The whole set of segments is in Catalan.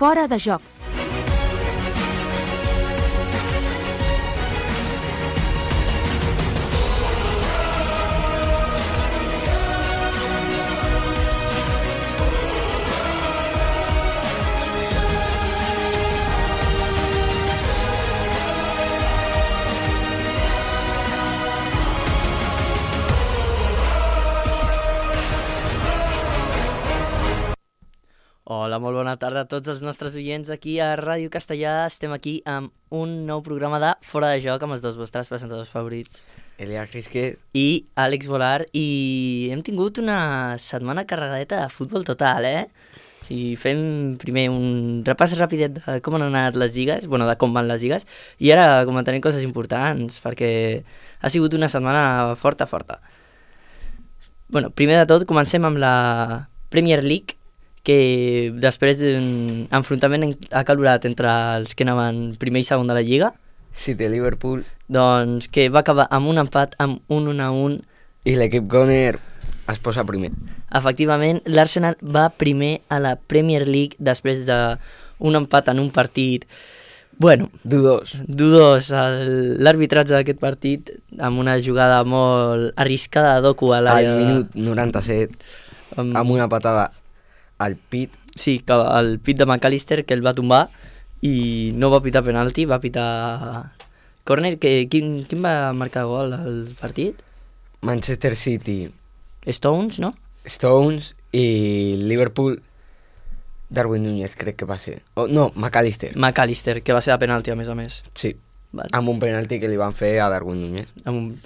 Fora de joc. Hola, molt bona tarda a tots els nostres oients aquí a Ràdio Castellà. Estem aquí amb un nou programa de Fora de Joc amb els dos vostres presentadors favorits, Elias Risquet i Àlex Volar, i hem tingut una setmana carregadeta de futbol total, O sigui, fem primer un repàs rapidet de com han anat les lligues, de com van les lligues, i ara comentarem coses importants, perquè ha sigut una setmana forta. Primer de tot, comencem amb la Premier League, que després d'un enfrontament acalorat entre els que anaven primer i segon de la Lliga, City-Liverpool, doncs que va acabar amb un empat, amb un 1-1. i l'equip Gunner es posa primer. Efectivament, l'Arsenal va primer a la Premier League després d'un empat en un partit, Dudós. L'arbitratge d'aquest partit, amb una jugada molt arriscada de Doku a Al l'àrea... minut 97, amb una patada al pit. Sí, el pit de McAllister, que el va tombar i no va pitar penalti, va pitar córner. Quin va marcar gol al partit? Manchester City, Stones, no? Stones i Liverpool, Darwin Núñez crec que va ser. McAllister. McAllister, que va ser de penalti a més. Sí, Vale. amb un penalti que li van fer a Darwin Núñez.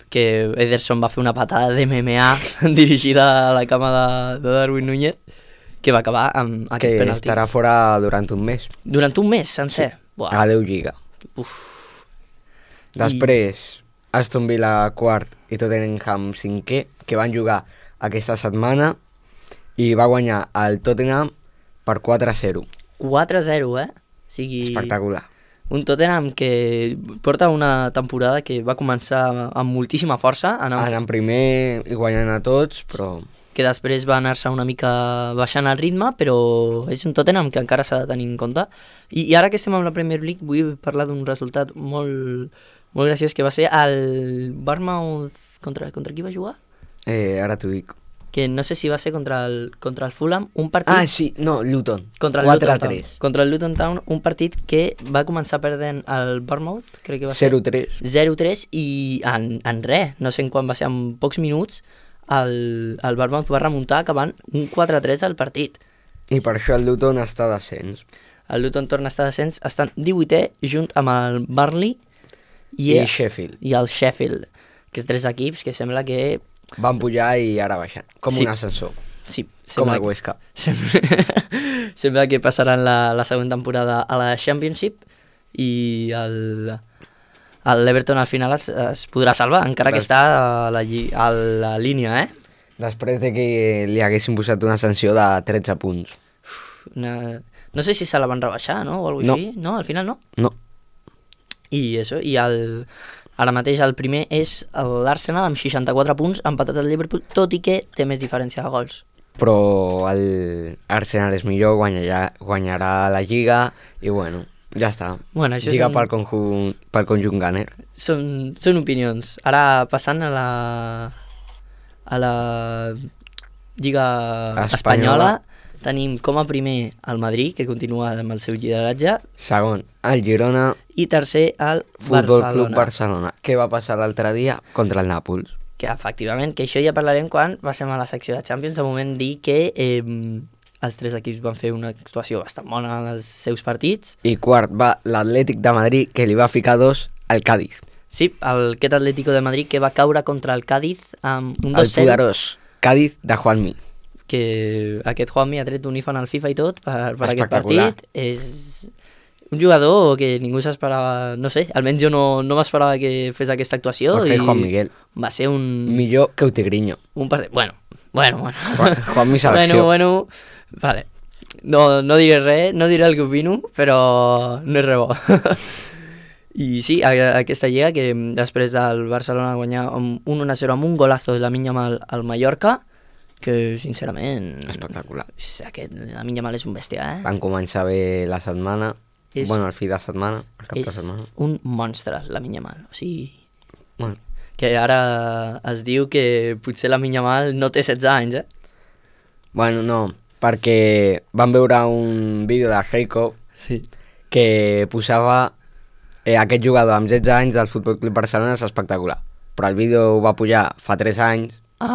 Que Ederson va fer una patada de MMA dirigida a la cama de Darwin Núñez, que va acabar amb aquest Que penalti. estarà fora durant un mes. Durant un mes sencer. Sí. Adeu Lliga. Uf. Després, Aston Villa quart i Tottenham cinquè, que van jugar aquesta setmana i va guanyar el Tottenham per 4-0. 4-0, O sigui, Espectacular. un Tottenham que porta una temporada que va començar amb moltíssima força, Anant primer i guanyant a tots, però que després va anar-se una mica baixant el ritme, però és un Tottenham que encara s'ha de tenir en compte. I ara que estem amb la Premier League vull parlar d'un resultat molt graciós, que va ser el Bournemouth... Contra qui va jugar? ara t'ho dic. Que no sé si va ser contra el Fulham, un partit... Luton. Contra el Luton Town. 4-3. Contra el Luton Town, un partit que va començar perdent el Bournemouth, crec que va ser 0-3. 0-3, i en res, no sé en quan va ser, en pocs minuts, el Bournemouth va remuntar acabant un 4-3 al partit. I per això el Luton està a descens. El Luton torna a estar a descens, estan 18è junt amb el Burnley I Sheffield. i el Sheffield, que és 3 equips que sembla que... Van pujar i ara baixen, com Sí. un ascensor, Sí, com sembla el Huesca. Sembla que passaran la següent temporada a la Championship i l'Everton al final es podrà salvar, encara que està a la línia, Després de que li haguessin posat una sanció de 13 punts. No sé si se la van rebaixar, no? O alguna cosa així. No, al final no. No. I ara mateix el primer és l'Arsenal amb 64 punts, empatat al Liverpool, tot i que té més diferència de gols. Però l'Arsenal és millor, guanyarà la Lliga i ja està. Això Lliga pel conjunt Gunner. Són opinions. Ara passant a la Lliga Espanyola, tenim com a primer el Madrid, que continua amb el seu lideratge, Segon, el Girona, i tercer el Futbol Club Barcelona. Barcelona. Què va passar l'altre dia contra el Nàpols? Que efectivament, que això ja parlarem quan passem a la secció de Champions. De moment dir que els 3 equips van fer una actuació bastant bona en els seus partits. I quart va l'Atlètic de Madrid, que li va ficar 2 al Cádiz. Sí, aquest Atlético de Madrid que va caure contra el Cádiz amb un El 2-0. poderós Cádiz de Juanmi. Que aquest Juanmi ha tret un iPhone al FIFA i tot per aquest Espectacular. partit. És un jugador que ningú s'esperava, no sé, almenys jo no m'esperava que fes aquesta actuació. Jorge Juan Miguel. Va ser Millor que Utigriño. un partit... Bueno. Juanmi selecció. Bueno, vale. No diré res, no diré el que opino, però no és res bo. I sí, aquesta lliga que després del Barcelona guanyar 1-0 amb un golazo de Lamine Yamal al Mallorca, que sincerament... Espectacular. Lamine Yamal és un bèstia, Van començar bé la setmana, el fi de setmana, el cap de setmana. És un monstre, Lamine Yamal, o sigui... Bueno. Que ara es diu que potser Lamine Yamal no té 16 anys, Bueno, no, perquè vam veure un vídeo de Heiko que posava aquest jugador amb 16 anys del Futbol Club Barcelona és espectacular, però el vídeo ho va pujar fa 3 anys i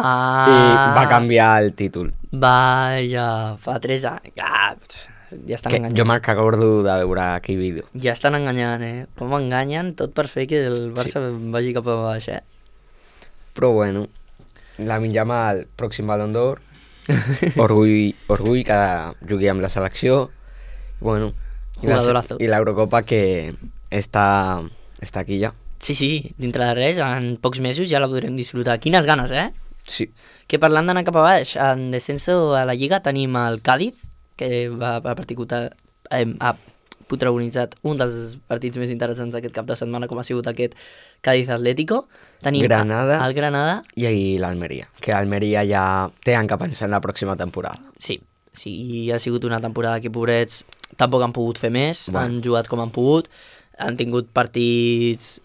va canviar el títol. Vaja, fa 3 anys. Ja estan enganyant. Jo me'n recordo de veure aquell vídeo. Ja estan enganyant, Com enganyen tot per fer que el Barça vagi cap a baix, Però bueno, Lamine Yamal, pròxim Ballon d'Or, orgull que jugui amb la selecció, bueno, i l'Eurocopa que està aquí ja. Sí, dintre de res, en pocs mesos ja la podrem disfrutar. Quines ganes, Sí. Que parlant d'anar cap a baix, en descenso a la Lliga tenim el Cádiz, que ha protagonitzat un dels partits més interessants d'aquest cap de setmana, com ha sigut aquest Cádiz Atlético. Tenim el Granada i l'Almeria, que l'Almeria ja tenen que pensar en la pròxima temporada. Sí, ha sigut una temporada que, pobrets, tampoc han pogut fer més, han jugat com han pogut, han tingut partits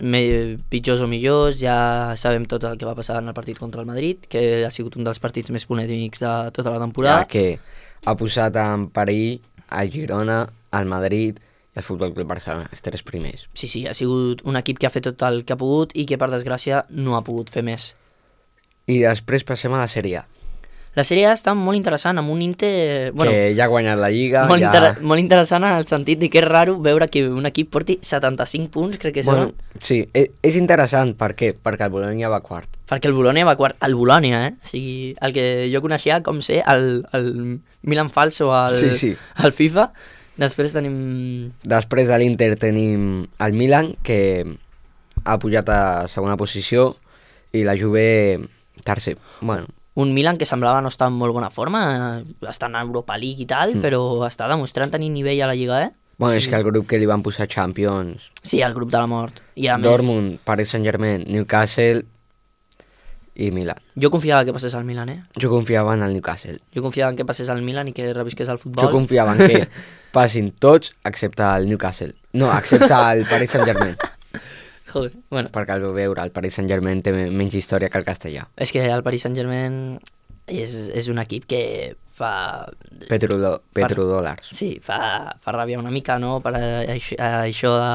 pitjors o millors, ja sabem tot el que va passar en el partit contra el Madrid, que ha sigut un dels partits més polèmics de tota la temporada. Ja que ha posat en perill el Girona, el Madrid i el Futbol Club Barcelona, els 3 primers. Sí, ha sigut un equip que ha fet tot el que ha pogut i que, per desgràcia, no ha pogut fer més. I després passem a la Sèrie A. La Sèrie A està molt interessant, amb un Inter... que ja ha guanyat la Lliga. Molt interessant en el sentit de que és raro veure que un equip porti 75 punts, crec que són. Sí, és interessant. Per què? Perquè el Bologna va quart. Perquè el Bologna va quart. El Bologna, O sigui, el que jo coneixia com ser el Milan falso al FIFA. Després tenim... Després de l'Inter tenim el Milan, que ha pujat a segona posició, i la Juve tercer. Bueno, un Milan que semblava no estar en molt bona forma, està en Europa League i tal, però està demostrant tenir nivell a la Lliga, Bueno, és que el grup que li van posar Champions... Sí, el grup de la mort. Dortmund, Paris Saint-Germain, Newcastle i Milan. Jo confiava que passés al Milan, Jo confiava en el Newcastle. Jo confiava en que passés al Milan i que revisqués el futbol. Jo confiava en que passin tots excepte el Newcastle. No, excepte el Paris Saint-Germain. Joder, bueno. Perquè el veure, el Paris Saint-Germain té menys història que el castellà. És que el Paris Saint-Germain és un equip que fa... Petrodòlars. Sí, fa ràbia una mica, no? Per això de...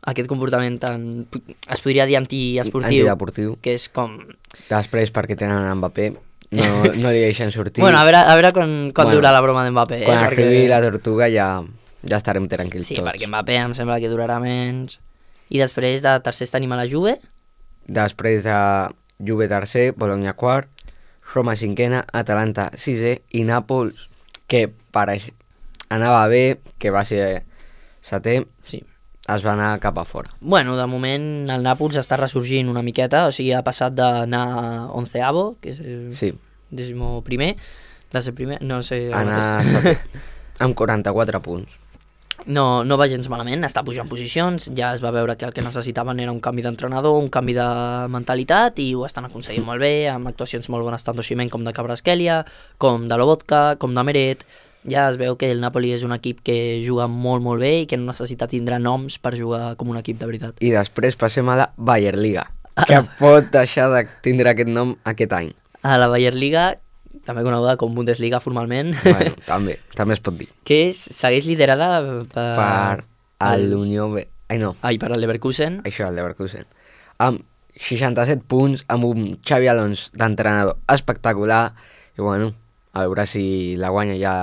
Aquest comportament tan... Es podria dir antideportiu. Que és com... Després, perquè tenen Mbappé, no li deixen sortir. Bueno, a veure quan durarà la broma d'Mbappé. Quan arribi la tortuga ja estarem tranquils tots. Sí, perquè Mbappé em sembla que durarà menys... I després de tercers tenim a la Juve. Després de Juve tercer, Bologna quart, Roma cinquena, Atalanta sisè i Nàpols, que anava bé, que va ser setè, es va anar cap a fora. Bueno, de moment el Nàpols està ressorgint una miqueta, o sigui, ha passat d'anar 11avo, que és 11è, de ser primer, no sé... Anar setè, amb 44 punts. No va gens malament, està pujant posicions, ja es va veure que el que necessitaven era un canvi d'entrenador, un canvi de mentalitat, i ho estan aconseguint molt bé, amb actuacions molt bones tant d'Osimhen com de Kvaratskhelia, com de Lobotka, com de Meret. Ja es veu que el Napoli és un equip que juga molt, molt bé i que no necessita tindre noms per jugar com un equip de veritat. I després passem a la Bayern Liga, que pot deixar de tindre aquest nom aquest any. A la Bayern Liga, també coneguda com Bundesliga formalment. Bueno, també es pot dir. Que segueix liderada per l'Unió B. Per el Leverkusen. Això, el Leverkusen. Amb 67 punts, amb un Xabi Alonso d'entrenador espectacular. I bueno, a veure si la guanya ja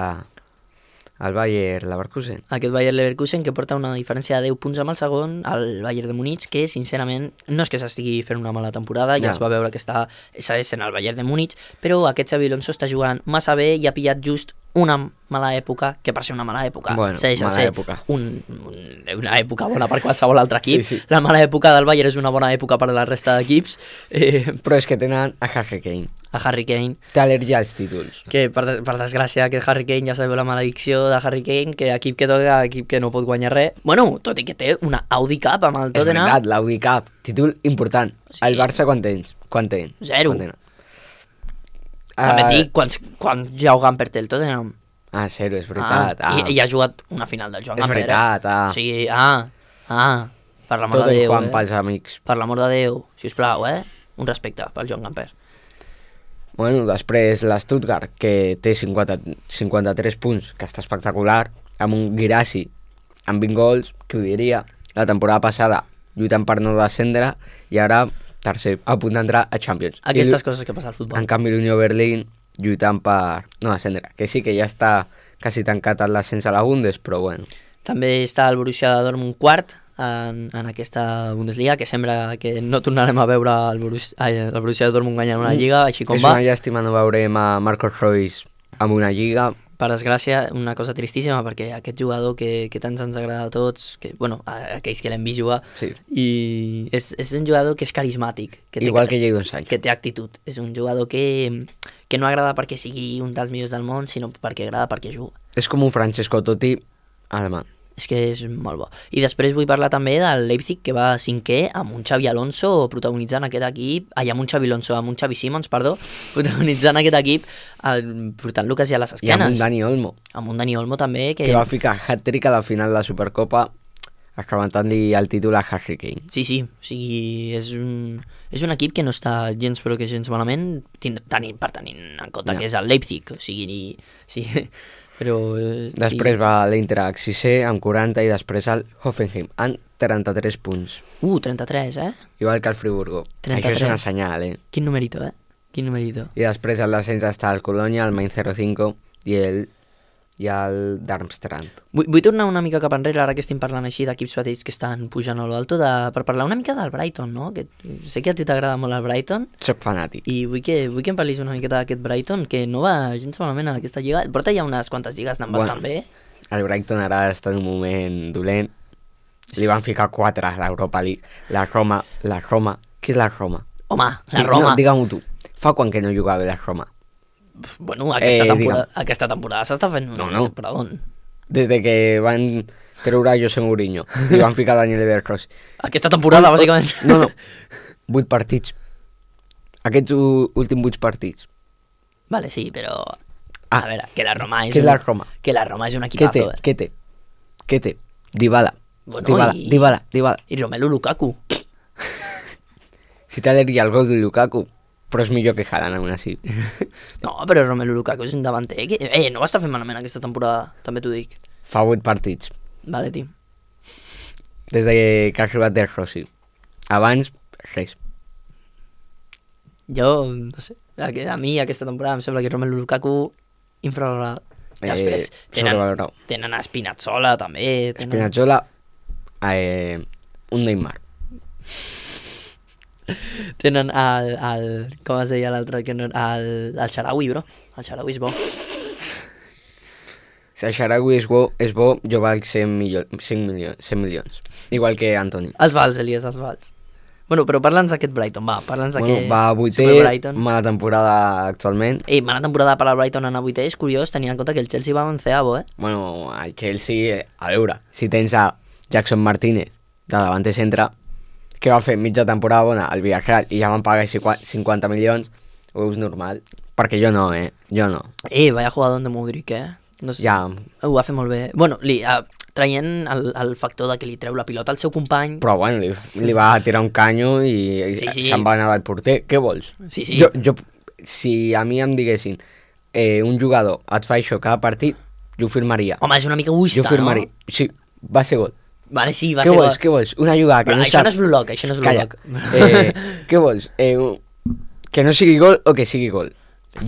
el Bayer Leverkusen. Aquest Bayer Leverkusen que porta una diferència de 10 punts amb el segon, el Bayern de Múnich, que sincerament no és que s'estigui fent una mala temporada, ja es va veure que segueix sent el Bayern de Múnich, però aquest Xabi Alonso està jugant massa bé i ha pillat just una mala època, que per ser una mala època segueix a ser una època bona per qualsevol altre equip. Sí. La mala època del Bayern és una bona època per a la resta d'equips. Però és que tenen a Harry Kane. Té al·lèrgia als títols. Que per desgràcia aquest Harry Kane ja sabeu la maledicció de Harry Kane, que equip que toca, equip que no pot guanyar res. Bueno, tot i que té una Audi Cup amb el Tottenham. És veritat, l'Audi Cup, títol important. El Barça quan té? 0. També et dic, quan Joao Gamper té el Tottenham. Ah, zero, és veritat. I ha jugat una final del Joan És Gamper. veritat, O sigui, per l'amor Tot de en Déu. Juan pels amics. Per l'amor de Déu, sisplau, un respecte pel Joan Gamper. Bueno, després l'Stuttgart, que té 53 punts, que està espectacular, amb un Guirassy amb 20 gols, qui ho diria, la temporada passada lluitant per no descendre i ara tercer, a punt d'entrar a Champions. Aquestes coses que passa al futbol. En canvi l'Unió Berlín lluitant per no descendre, que sí que ja està quasi tancat l'ascens a la Bundes, però bueno. També està el Borussia Dortmund quart en aquesta Bundesliga, que sembla que no tornarem a veure el Borussia Dortmund guanyant una lliga, així com és va. una llàstima no veurem a Marcos Royce amb una lliga. Per desgràcia, una cosa tristíssima, perquè aquest jugador que tant ens agrada a tots, que, bueno, a aquells que l'hem vist jugar, Sí. i és un jugador que és carismàtic. Igual que Jadon Sancho. Que té actitud. És un jugador que no agrada perquè sigui un dels millors del món, sinó perquè agrada perquè juga. És com un Francesco Totti alemany. És que és molt bo. I després vull parlar també del Leipzig, que va cinquè amb un Xavi Alonso protagonitzant aquest equip, amb un Xavi Simons, perdó, protagonitzant aquest equip, portant-lo quasi a les esquenes. I amb un Dani Olmo. Amb un Dani Olmo també. Que va ficar hat-trick a la final de la Supercopa, esclaventant-li el títol a Harry Kane. Sí, o sigui, és un equip que no està gens però que gens malament, tenint en compte que és el Leipzig, o sigui, sí, però... Després va l'Eintracht 6è amb 40 i després el Hoffenheim amb 33 punts. 33, Igual que el Friburgo. 33. Això és una senyal, Quin numerito, Quin numerito. I després al descens està el Colònia, el Mainz 05 i el Darmstadt. Vull tornar una mica cap enrere, ara que estem parlant així d'equips petits que estan pujant a lo alto, per parlar una mica del Brighton, no? Que sé que a ti t'agrada molt el Brighton. Soc fanàtic. I vull que em parlis una miqueta d'aquest Brighton, que no va gens malament a aquesta lliga. Porta ja unes quantes lligues anant bastant bé. El Brighton ara està en un moment dolent. Li van ficar 4 a l'Europa League. La Roma. Què és la Roma? Home, la Roma. No, digue-m'ho tu. Fa quan que no jugava la Roma? Bueno, aquesta temporada s'està fent un temporadón. Des de que van treure a José Mourinho i van ficar Daniel Bergros. Aquesta temporada, bàsicament. No. 8 partits. Aquests últims 8 partits. Vale, sí, però... A veure, que la Roma és... Què és la Roma? Que la Roma és un equipazo, Què té? Dybala. Bueno, Dybala. I Romelu Lukaku. Si t'aleria el gol de Lukaku, però és millor que Haaland, aún así. No, però Romelu Lukaku és un davanter que... no va estar fent malament aquesta temporada, també t'ho dic. Fa 8 partits. Vale, tio. Des de que ha arribat del Rossi. Abans, res. Jo, no sé, a mi aquesta temporada em sembla que Romelu Lukaku infravalorat. Després tenen a Spinazzola també. Spinazzola, un Neymar. Tenen com es deia l'altre, el Sharawi, bro. El Sharawi és bo. Si el Sharawi és bo, jo valc 100 milions. Igual que Antoni. Els vals, Elias, els vals. Bueno, però parla'ns d'aquest Brighton, va. Parla'ns d'aquest... Va a 8è, mala temporada actualment. Mala temporada per al Brighton en a 8è, és curiós, tenint en compte que el Chelsea va a 11avo, Bueno, el Chelsea, a veure, si tens a Jackson Martínez de davanter centre, que va fer mitja temporada bona al Villarreal i ja van pagar 50 milions, ho és normal. Perquè jo no, Jo no. Vaya jugador de Modric, No sé, ja. Ho va fer molt bé. Bueno, traient el factor de que li treu la pilota al seu company... Però bueno, li va tirar un canyo i se'n va anar al porter. Què vols? Sí. Si a mi em diguessin un jugador et fa això cada partit, jo ho firmaria. Home, és una mica egoista, jo firmaria. No? Sí, va ser gol. Vale, sí, va ser gol. Què vols? Una jugada que no això saps... no és Blue Lock, això no és Blue Lock. Què vols? Que no sigui gol o que sigui gol?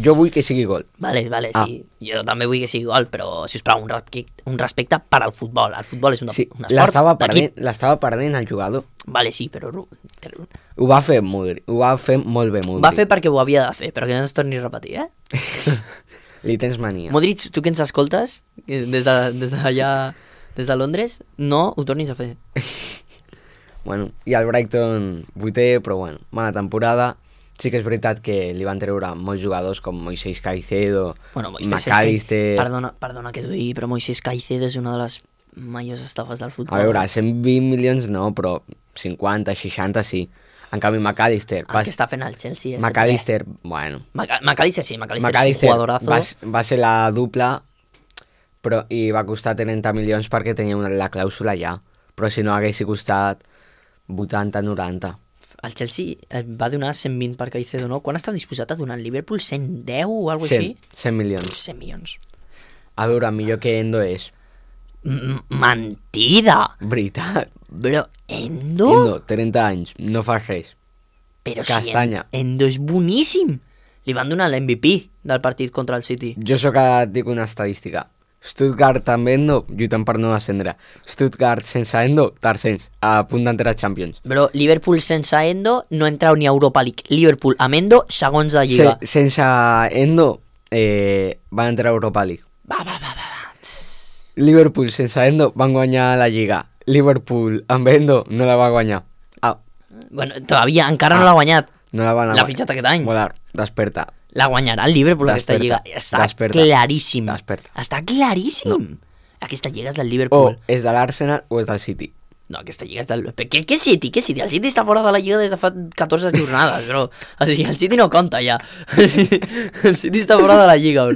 Jo vull que sigui gol. Vale, sí. Jo també vull que sigui gol, però, sisplau, un respecte per al futbol. El futbol és un esport d'equip. L'estava perdent el jugador. Vale, sí, però... Ho va fer molt bé, Modric. Va fer perquè ho havia de fer, però que no es torni a repetir, Li tens mania. Modric, tu que ens escoltes, des d'allà, des de Londres, no ho tornis a fer. Bueno, i el Brighton 8è, però bueno, mala temporada. Sí que és veritat que li van treure molts jugadors com Moisés Caicedo, McAllister... Perdona que t'ho digui, però Moisés Caicedo és una de les majors estafes del futbol. A veure, 120 milions no, però 50, 60 sí. En canvi, McAllister... El que està fent el Chelsea és... McAllister, bueno... McAllister sí, McAllister és un jugadorazo. Va ser la dupla, però, i va costar 30 milions perquè tenia la clàusula ja. Però si no hagués costat 80-90. El Chelsea va donar 120 per Caicedo, no? Quan estava disposat a donar el Liverpool? 110 o alguna cosa així? 100 milions. 100 milions. A veure, millor que Endo és. Mentida! Veritat. Però Endo? Endo, 30 anys, no fa res. Però Castanya. si Endo és boníssim. Li van donar l'MVP del partit contra el City. Jo sóc que et dic una estadística. Stuttgart amb Endo, lluitant per no descendre. Stuttgart sense Endo, tercers, a punt d'entrar a Champions. Però Liverpool sense Endo no entrau ni a Europa League. Liverpool amb Endo, segons la Lliga. Sense Endo, van entrar a Europa League. Va. Liverpool sense Endo van guanyar la Lliga. Liverpool amb Endo no la va guanyar. Bueno, todavía encara no l'ha guanyat. No la van L'ha fitxat aquest any. Volar, desperta. La guanyarà el Liverpool aquesta lliga. Està claríssim. Està claríssim. No. Aquesta lliga és del Liverpool. O és de l'Arsenal o és del City. No, aquesta lliga és del... Què City? Què City? El City està fora de la lliga des de fa 14 jornades, bro. O sigui, el City no compta ja. El City està fora de la lliga, bro.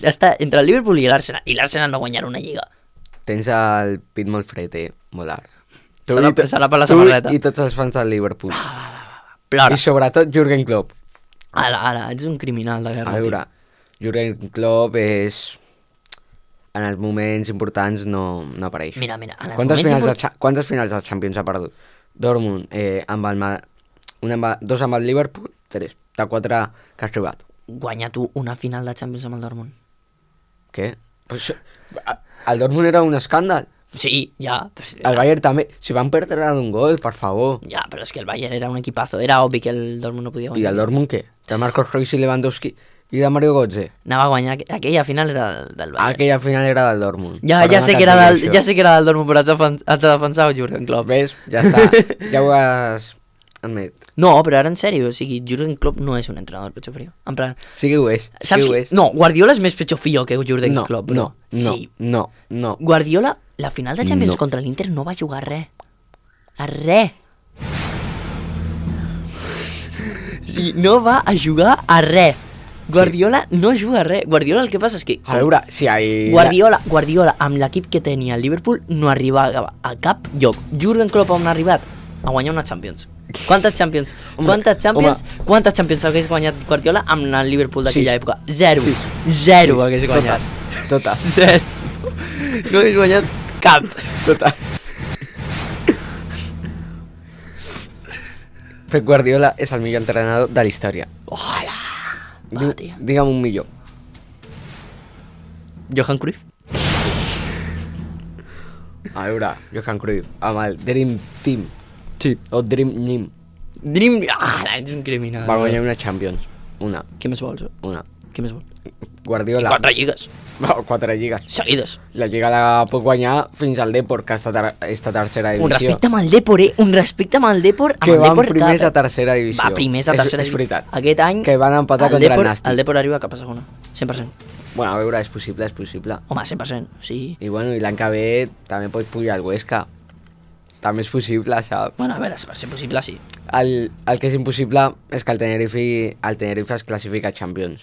Està entre el Liverpool i l'Arsenal. I l'Arsenal no guanyarà una lliga. Tens el pit molt fred, Molar. Serà per la samarreta. I tots els fans del Liverpool. Plora. I sobretot Jürgen Klopp. Ara, ets un criminal de guerra. A veure, Jürgen Klopp és... En els moments importants no apareix. Mira, en els quantes finals de Champions ha perdut? Dortmund, dos amb el Liverpool, 3. De 4 que has trobat. Guanya tu una final de Champions amb el Dortmund. Què? Pues, el Dortmund era un escàndal. Sí, ja. El Bayern també. Si van perdre d'un gol, per favor. Ja, però és que el Bayern era un equipazo. Era obvi que el Dortmund no podia guanyar. I el Dortmund què? De Marcos Reus i Lewandowski i de Mario Götze. Anava a guanyar. Aquella final era del Bayern. Aquella final era del Dortmund. Ja sé que era del Dortmund, però has de defensar el Jürgen Klopp. Ves? Ja està. Ja ho has admet. No, però ara en sèrio, o sigui, Jürgen Klopp no és un entrenador pecho frío. En plan... Sí que ho és. Saps? No, Guardiola és més pecho frío que Jürgen Klopp. No. Guardiola, la final de Champions contra l'Inter no va jugar a res. A res. Sí, no va a jugar a res. Guardiola no juga a res. Guardiola el que passa és que... A veure, si hay... Guardiola amb l'equip que tenia el Liverpool no arribava a cap lloc. Jürgen Klopp on ha arribat? A guanyar una Champions. Quantes Champions hagués guanyat Guardiola amb el Liverpool d'aquella època? Zero. Zero hagués guanyat. Totes. Zero. No hagués guanyat cap. Totes. Pep Guardiola és el millor entrenador de la història. Ojalà. Digue'm un millor. Johan Cruyff. A veure, Johan Cruyff amb el Dream Team. Sí. O Dream Team. Ets un criminal. Va guanyar una Champions. Una. Què més vols? Una. Què més vols? Guardiola. 4 lligues. 4 lligues. Seguides. La lliga la pot guanyar fins al Depor, que està tercera divisió. Un respecte amb el Depor, Un respecte amb el Depor. Que van primers a tercera divisió. Va primers a tercera divisió. És veritat. Aquest any... Que van empatar contra el Nàstic. El Depor arriba cap a segona. 100%. Bueno, a veure, és possible. Home, 100%, sí. I bueno, i l'any que ve també pots pujar al Huesca. També és possible, saps? Bueno, a veure, per ser possible, sí. El que és impossible és que el Tenerife es classifica a Champions.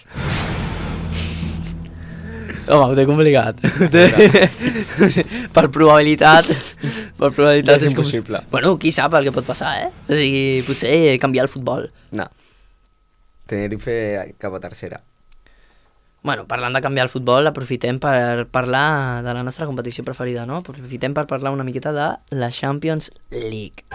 Home, ho té complicat. Per probabilitat és impossible. Bueno, qui sap el que pot passar, O sigui, potser canviar el futbol. No. Tenerife cap a tercera. Bueno, parlant de canviar el futbol, aprofitem per parlar de la nostra competició preferida, no? Aprofitem per parlar una miqueta de la Champions League.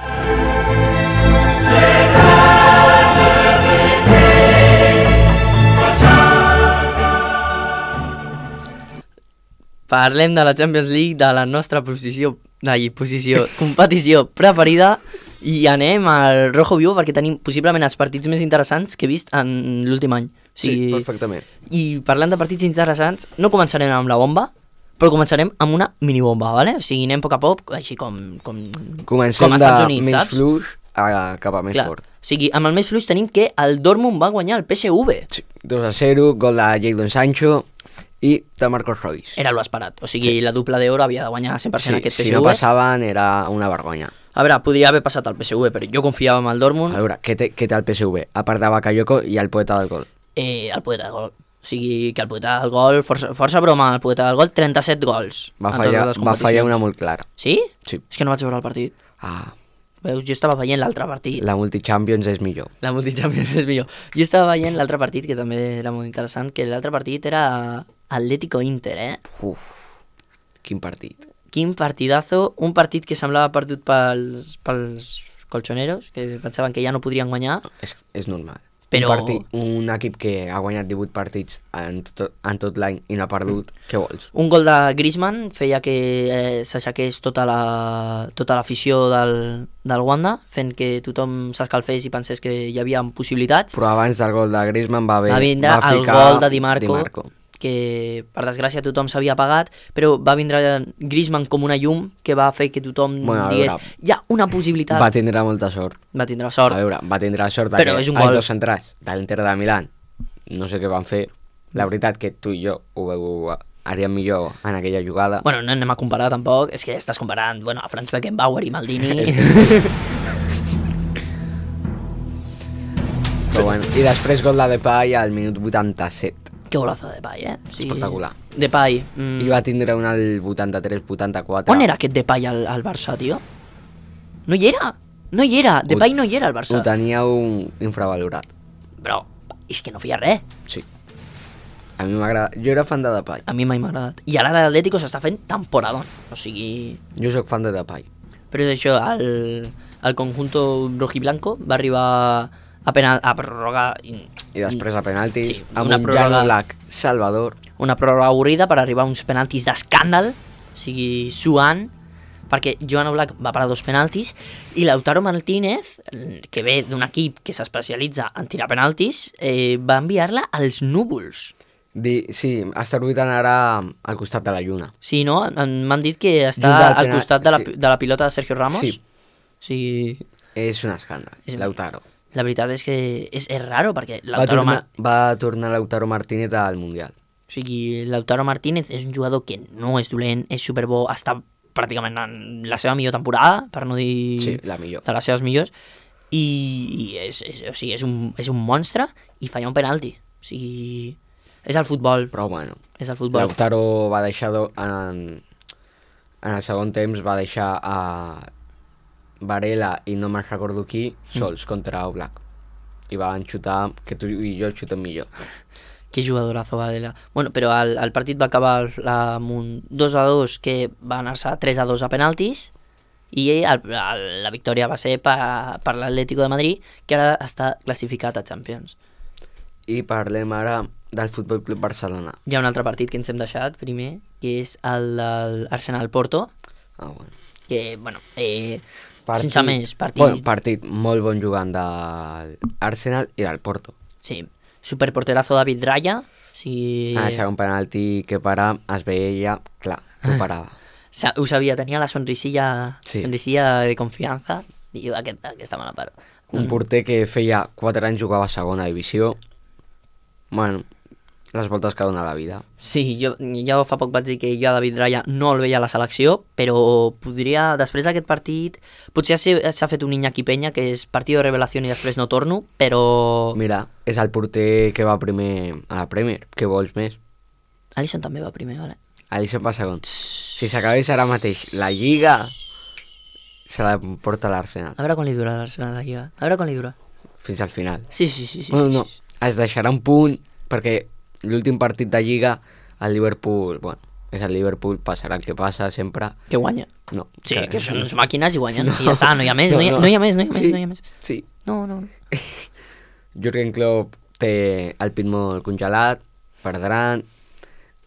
Parlem de la Champions League, de la nostra competició preferida, i anem al rojo vivo perquè tenim possiblement els partits més interessants que he vist en l'últim any. O sigui, sí, perfectament. I parlant de partits interessants, no començarem amb la bomba, però començarem amb una minibomba, ¿vale? O sigui, anem a poc, així com comencem com Estats Units, de saps? menys fluix cap a més fort. O sigui, amb el més fluix tenim que el Dortmund va guanyar el PSV. Sí, 2-0, gol de Jadon Sancho i de Marcos Reus. Era lo esperat, o sigui, la dupla d'oro havia de guanyar 100% aquest PSV. Si no passaven era una vergonya. A veure, podria haver passat al PSV, però jo confiava en el Dortmund. A veure, què té el PSV? A part de Bakayoko i el poeta del gol. El poeta del gol. O sigui, que el poeta del gol, força broma, el poeta del gol, 37 gols. Va fallar una molt clara. Sí? Sí. És que no vaig veure el partit. Ah, Veus, jo estava veient l'altre partit. la Multichampions és millor. La Multichampions és millor. Jo estava veient l'altre partit, que també era molt interessant, que l'altre partit era Atlético-Inter, Uf, quin partit. Quin partidazo, un partit que semblava perdut pels colchoneros, que pensaven que ja no podrien guanyar. És normal. Però- Un equip que ha guanyat 18 partits en tot l'any i no ha perdut, què vols? Un gol de Griezmann feia que s'aixequés tota l'afició del Wanda, fent que tothom s'escalfés i pensés que hi havia possibilitats. Però abans del gol de Griezmann va vindre el ficar gol de Di Marco, que per desgràcia tothom s'havia apagat, però va vindre Griezmann com una llum que va fer que tothom digués hi ha una possibilitat. Va tindre molta sort. Va tindre sort. A veure, va tindre sort Però que és un els gol. dos centrals de l'Inter de Milán, no sé què van fer. La veritat que tu i jo ho haríem millor en aquella jugada. Bueno, no anem a comparar tampoc, és que estàs comparant a Franz Beckenbauer i Maldini. Però bueno, i després gol de Depay al minut 87. Que golazo de Depay, Sí. Espectacular. Depay. I va tindre un al 83-84. On era aquest Depay al Barça, tio? No hi era! No hi era! Depay no hi era al Barça. Ho teníeu infravalorat. Però és que no feia res. Sí. A mi m'agrada. Jo era fan de Depay. A mi mai m'ha agradat. I ara l'Atlético s'està fent temporadón. O sigui... Jo sóc fan de Depay. Però és això, el conjunto rojiblanco va arribar a pròrroga... I després a penaltis, Sí, amb una un pròrroga- Jan Black salvador. Una pròrroga avorrida per arribar a uns penaltis d'escàndal, o sigui, suant, perquè Joan Oblak va parar 2 penaltis i Lautaro Martínez, que ve d'un equip que s'especialitza en tirar penaltis, va enviar-la als núvols. Sí, està orbitant ara al costat de la lluna. Sí, no? M'han dit que està Lluny del al penal, costat sí. de la pilota de Sergio Ramos. Sí. O sigui, És un escàndal, Lautaro. la veritat és que és raro, perquè Va tornar Lautaro Martínez al Mundial. O sigui, Lautaro Martínez és un jugador que no és dolent, és superbo, està pràcticament en la seva millor temporada, per no dir Sí, la millor. de les seves millors, i o sigui, és un monstre i falla un penalti. O sigui, és el futbol. Però bueno, És el futbol. Lautaro va deixar en el segon temps va deixar a Varela i no me'n recordo qui sols contra Oblak. I van xutar que tu i jo xutem millor. Que jugadorazo, Varela. Bueno, però el partit va acabar amb un 2-2 que va anar-se 3-2 a penaltis i la victòria va ser per l'Atlético de Madrid, que ara està classificat a Champions. I parlem ara del Futbol Club Barcelona. Hi ha un altre partit que ens hem deixat primer, que és el de l'Arsenal-Porto, Ah, bueno. que, bueno, sense més, partit... Bon, partit molt bon jugant de l'Arsenal i del Porto. Sí, superporterazo David Raya, o sigui... En el segon penalti que para es veia, clar, que ho parava. Ho sabia, tenia la sonrisilla, Sí. sonrisilla de confiança, i aquesta me la paro. Un porter que feia 4 anys jugava a segona divisió. Bueno, les voltes que dona la vida. Sí, jo fa poc vaig dir que jo a David Raya no el veia a la selecció, però podria, després d'aquest partit, potser s'ha fet un Iñaki Peña, que és partit de revelació i després no torno, però... Mira, és el porter que va primer a la Premier. Què vols més? Alisson també va primer, vale? Alisson va segon. Si s'acabés ara mateix la Lliga, se la porta l'Arsenal. A veure quan li dura l'Arsenal la Lliga. A veure quan li dura. Fins al final. Sí. Bueno, no, es deixarà un punt, perquè l'últim partit de Lliga, el Liverpool, bueno, és el Liverpool, passarà el que passa sempre. Que guanya. No. Sí, que són uns màquines i guanyen. I ja està, no hi ha més, no hi ha més. Sí. No. Jürgen Klopp té el pit molt congelat, perdran.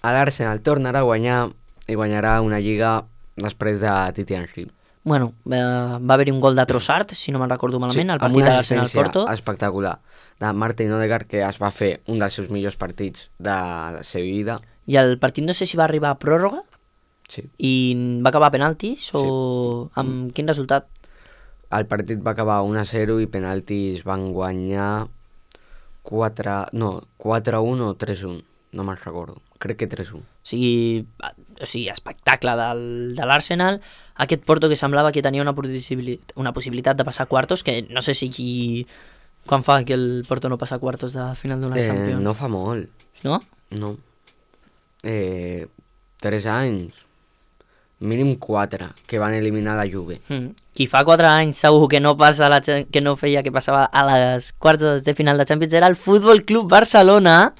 A l'Arsenal tornarà a guanyar i guanyarà una Lliga després de Titi Henry. Bueno, va haver-hi un gol de Trossard, si no me'n recordo malament, al partit de l'Arsenal-Porto. Espectacular de Martin Odegaard, que es va fer un dels seus millors partits de la seva vida. I el partit no sé si va arribar a pròrroga Sí. i va acabar a penaltis o amb quin resultat? El partit va acabar 1-0 i penaltis van guanyar 4-1 o 3-1, no me'n recordo. crec que 3-1. O sigui, espectacle de l'Arsenal. Aquest Porto que semblava que tenia una possibilitat de passar a quartos, que no sé si quan fa que el Porto no passa a quartos de final d'una Champions. No fa molt. No? No. 3 anys. Mínim 4, que van eliminar la Juve. Qui fa 4 anys segur que no feia que passava a les quarts de final de Champions era el Futbol Club Barcelona,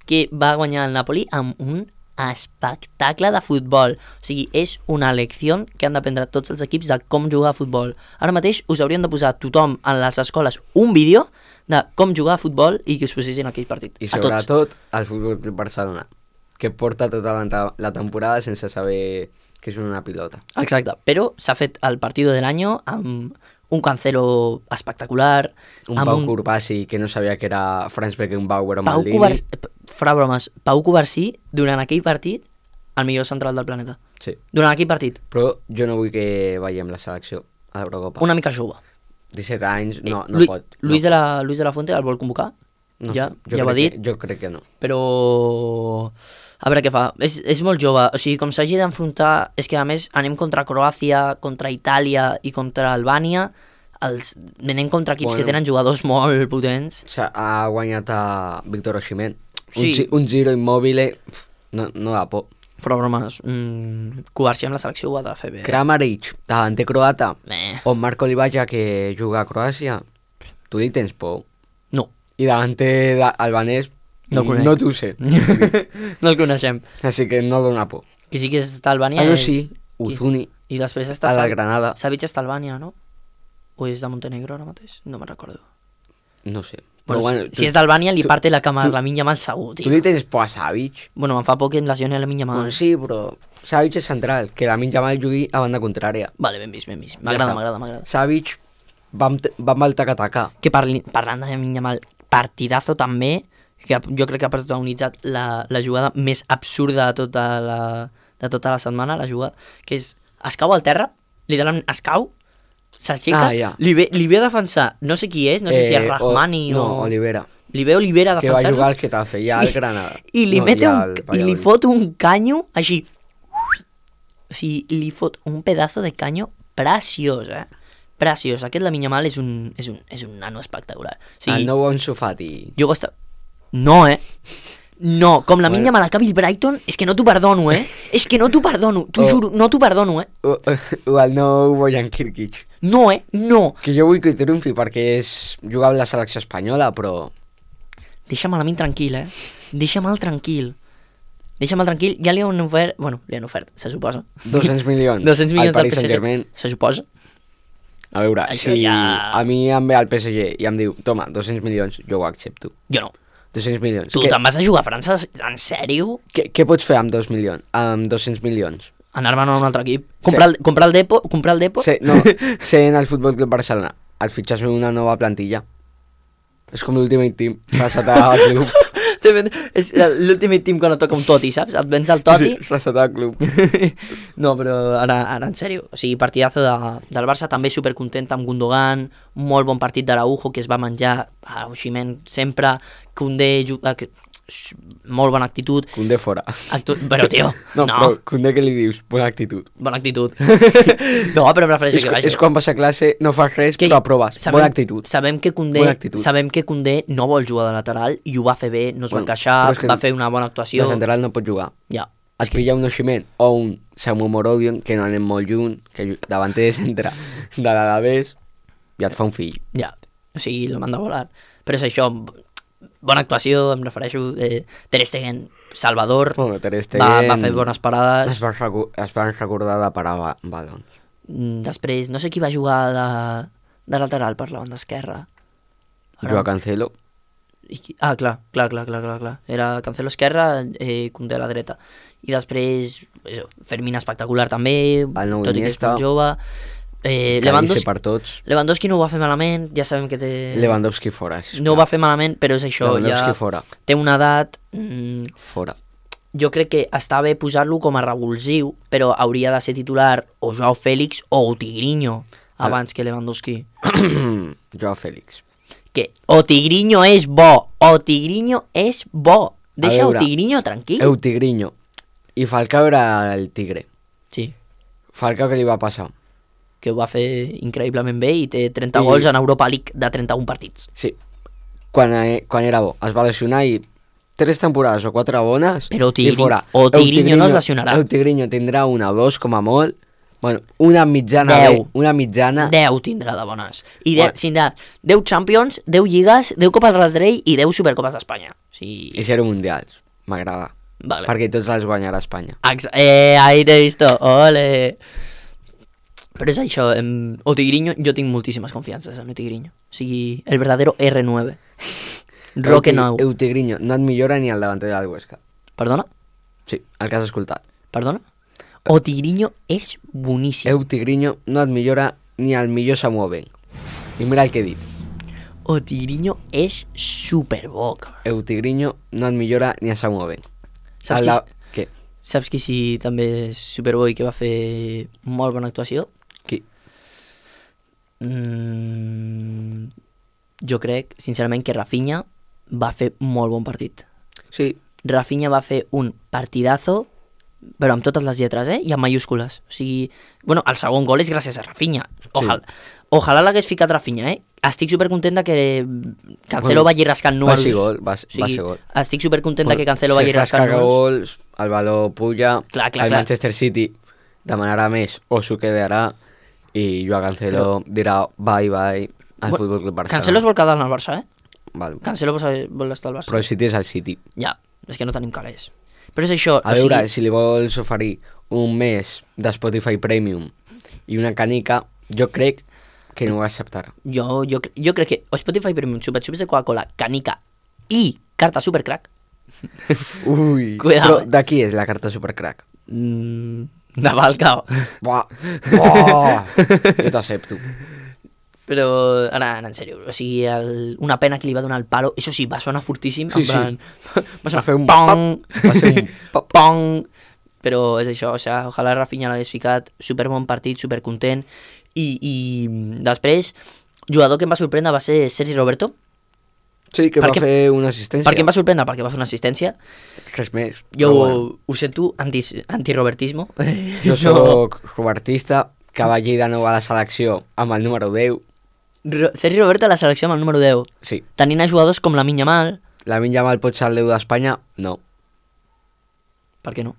que va guanyar el Napoli amb un espectacle de futbol. O sigui, és una lecció que han d'aprendre tots els equips de com jugar a futbol. Ara mateix us haurien de posar tothom en les escoles un vídeo de com jugar a futbol i que us posessin aquell partit. I sobretot el Futbol Club Barcelona, que porta tota la temporada sense saber que és una pilota. Exacte, però s'ha fet el partido de l'any amb un Cancelo espectacular. Un Pau Cubarsí que no sabia que era Franz Beckenbauer o Maldini. Fora bromes, Pau Cubarsí, durant aquell partit, el millor central del planeta. Sí. Durant aquell partit. Però jo no vull que veiem la selecció a l'Eurocopa. Una mica jove. 17 anys, no pot. Luis de la Fuente el vol convocar? No ja sé, ho ha dit. Jo crec que no. Però a veure què fa. És molt jove. O sigui, com s'hagi d'enfrontar, és que a més anem contra Croàcia, contra Itàlia i contra Albània. Anem contra equips que tenen jugadors molt potents. Ha guanyat a Víctor Osimhen. Sí. Un giro immòbile, no da por. Fora bromes, Cubarsí amb la selecció ho ha de fer bé. Kramaric, davanter croata, o Marco Livaja, que juga a Croàcia. Tu li tens por? No. I davanter albanès, no t'ho sé. No el coneixem. Així que no dona por. Qui sí que està a Albània és... sí, Uzuni. I després està a la Granada. Savic està a Albània, no? O és de Montenegro ara mateix? No me'n recordo. No sé. Bueno, si és d'Albània li parte la cama a la Lamine Yamal segur, tio. Tu li tens por a Savic? Bueno, em fa por que em lesioni a Lamine Yamal. Bueno, sí, però Savic és central, que Lamine Yamal jugui a banda contrària. Vale, ben vist. M'agrada. Savic va amb el taca-taca. Que parlant de Lamine Yamal, partidazo també, que jo crec que ha protagonitzat la jugada més absurda de tota la setmana, la jugada, que és, es cau al terra, literalment es cau, s'aixeca, li ve a defensar, no sé qui és, no sé si és Rahmani o... No, Olivera. Li ve Olivera a defensar-lo. Que va jugar al Getafe, ja al Granada. I li fot un canyo així. O sigui, li fot un pedazo de canyo preciós, preciós. Aquest Lamine Yamal és un nano espectacular. O sigui, el nou Ansu Fati. Jo ho estava... No, No, com la Lamine Yamal acabi el Brighton, és que no t'ho perdono, És que no t'ho perdono, t'ho juro, no t'ho perdono, O el nou Bojan Kirkic. No, no. Que jo vull que triomfi perquè jugava a la selecció espanyola, però... Deixa'm a Lamine tranquil, Deixa'm tranquil. Ja li han ofert... Bueno, li han ofert, se suposa. 200 milions. 200 milions al Paris Saint-Germain. Se suposa. A veure, això si ja... a mi em ve al PSG i em diu, toma, 200 milions, jo ho accepto. Jo no. 200 milions. Tu te'n vas a jugar a França? En sèrio? Què pots fer amb 2 milions? Amb 200 milions? Anar-me'n a un altre equip. Comprar el Depor? No, ser en el Futbol Club Barcelona. Et fitxes una nova plantilla. És com l'Ultimate Team. Resetar el club. És l'Ultimate Team quan et toca un Toti, saps? Et vens al Toti. Sí, resetar el club. No, però ara en sèrio. O sigui, partidazo del Barça, també supercontent amb Gundogan, molt bon partit d'Araujo, que es va menjar a Osimhen sempre, Koundé, molt bona actitud. Koundé fora. Però, tio, no. Però Koundé què li dius? Bona actitud. Bona actitud. No, però prefereixo que vagi. És quan vas a classe, no fas res, però aproves. Bona actitud. Sabem que Koundé no vol jugar de lateral i ho va fer bé, no es va queixar, va fer una bona actuació. De central no pot jugar. Ja. Es pilla un Osimhen o un Samu Morodion, que no anem molt lluny, que davanter de centre de l'Alavés, i et fa un fill. Ja, o sigui, el manda a volar. Però és això, bona actuació, em refereixo. Ter Stegen, Salvador, bueno, Ter Stegen va fer bones parades. Es van recordar de parar balons. Després, no sé qui va jugar de lateral per la banda esquerra. Joao Cancelo. Clar. Era Cancelo esquerra, Koundé a la dreta. I després, Fermín espectacular també, tot i que és tan jove. Lewandowski no ho va fer malament, ja sabem que té... Lewandowski fora, sisplau. No ho va fer malament, però és això, Lewandowski fora. Té una edat... Fora. Jo crec que està bé posar-lo com a revulsiu, però hauria de ser titular o Joao Félix o Tigrinho, abans que Lewandowski. Joao Félix. Que Tigrinho és bo, Deixa veure, Tigrinho tranquil. Tigrinho. I Falcao era el tigre. Sí, Falcao què li va passar? que ho va fer increïblement bé i té 30 gols en Europa League de 31 partits. Sí, quan era bo. Es va lesionar i 3 temporades o 4 bones Però i fora. Tigrinho no es lesionarà. El Tigrinho tindrà una o dos com a molt. Bueno, una mitjana. 10. Una mitjana. 10 tindrà de bones. I tindrà 10 Champions, 10 Lligues, 10 Copes del Rei i 10 Supercopes d'Espanya. O sigui... I 0 mundials. M'agrada. Vale. Perquè tots els guanyarà Espanya. Ahí t'he visto, ole. Però és això, Tigrinho, jo tinc moltíssimes confiances en Tigrinho. O sigui, el verdadero R9. Roque Nou. Tigrinho no et millora ni el davanter del Huesca. Perdona? Sí, el que has escoltat. Perdona? Tigrinho és boníssim. Tigrinho no et millora ni el millor Samu Ben. I mira el que he dit. Tigrinho és superbo. Tigrinho no et millora ni a Samu Ben. Què? Saps qui sí també és superbo i que va fer molt bona actuació? Qui? Jo crec, sincerament, que Rafinha va fer molt bon partit. Sí. Rafinha va fer un partidazo, però amb totes les lletres, i amb mayúscules. O sigui, bueno, el segon gol és gràcies a Rafinha. Ojalà l'hagués ficat Rafinha, Estic supercontent que Cancelo vagi rascant números. Va ser gol. Estic supercontent que Cancelo vagi rascant números. Gols, el valor puja, el Manchester City demanarà més o s'ho quedarà i Joao Cancelo dirà bye al Futbol Club Barcelona. Cancelo es vol quedar en el Barça, Val. Cancelo vol estar al Barça. Però el City és el City. Ja, és que no tenim calés. Però és això... A veure, si li vols oferir un mes de Spotify Premium i una canica, jo crec que no ho acceptarà. Jo crec que Spotify Premium, xupa-xups de Coca-Cola, canica i carta Supercrack. Ui, cuidado, però de qui és la carta Supercrack? De Falcao. Buah, jo t'accepto. Però ara, en sèrio, o sigui, una pena que li va donar el palo, això sí, va sonar fortíssim, Sí, en plan, va sonar Va fer un pong, va ser un pop. pong, però és això, o sigui, ojalà Rafinha l'hagués ficat, superbon partit, supercontent, i després, jugador que em va sorprendre va ser Sergi Roberto. Sí, que va fer una assistència. Per què em va sorprendre? Perquè va fer una assistència. Res més. Jo ho sento, anti-robertismo. Jo soc robertista, que va allí de nou a la selecció amb el número 10. Sergi Roberto a la selecció amb el número 10. Sí. Tenint a jugadors com Lamine Yamal. Lamine Yamal pot ser el 10 d'Espanya? No. Per què no?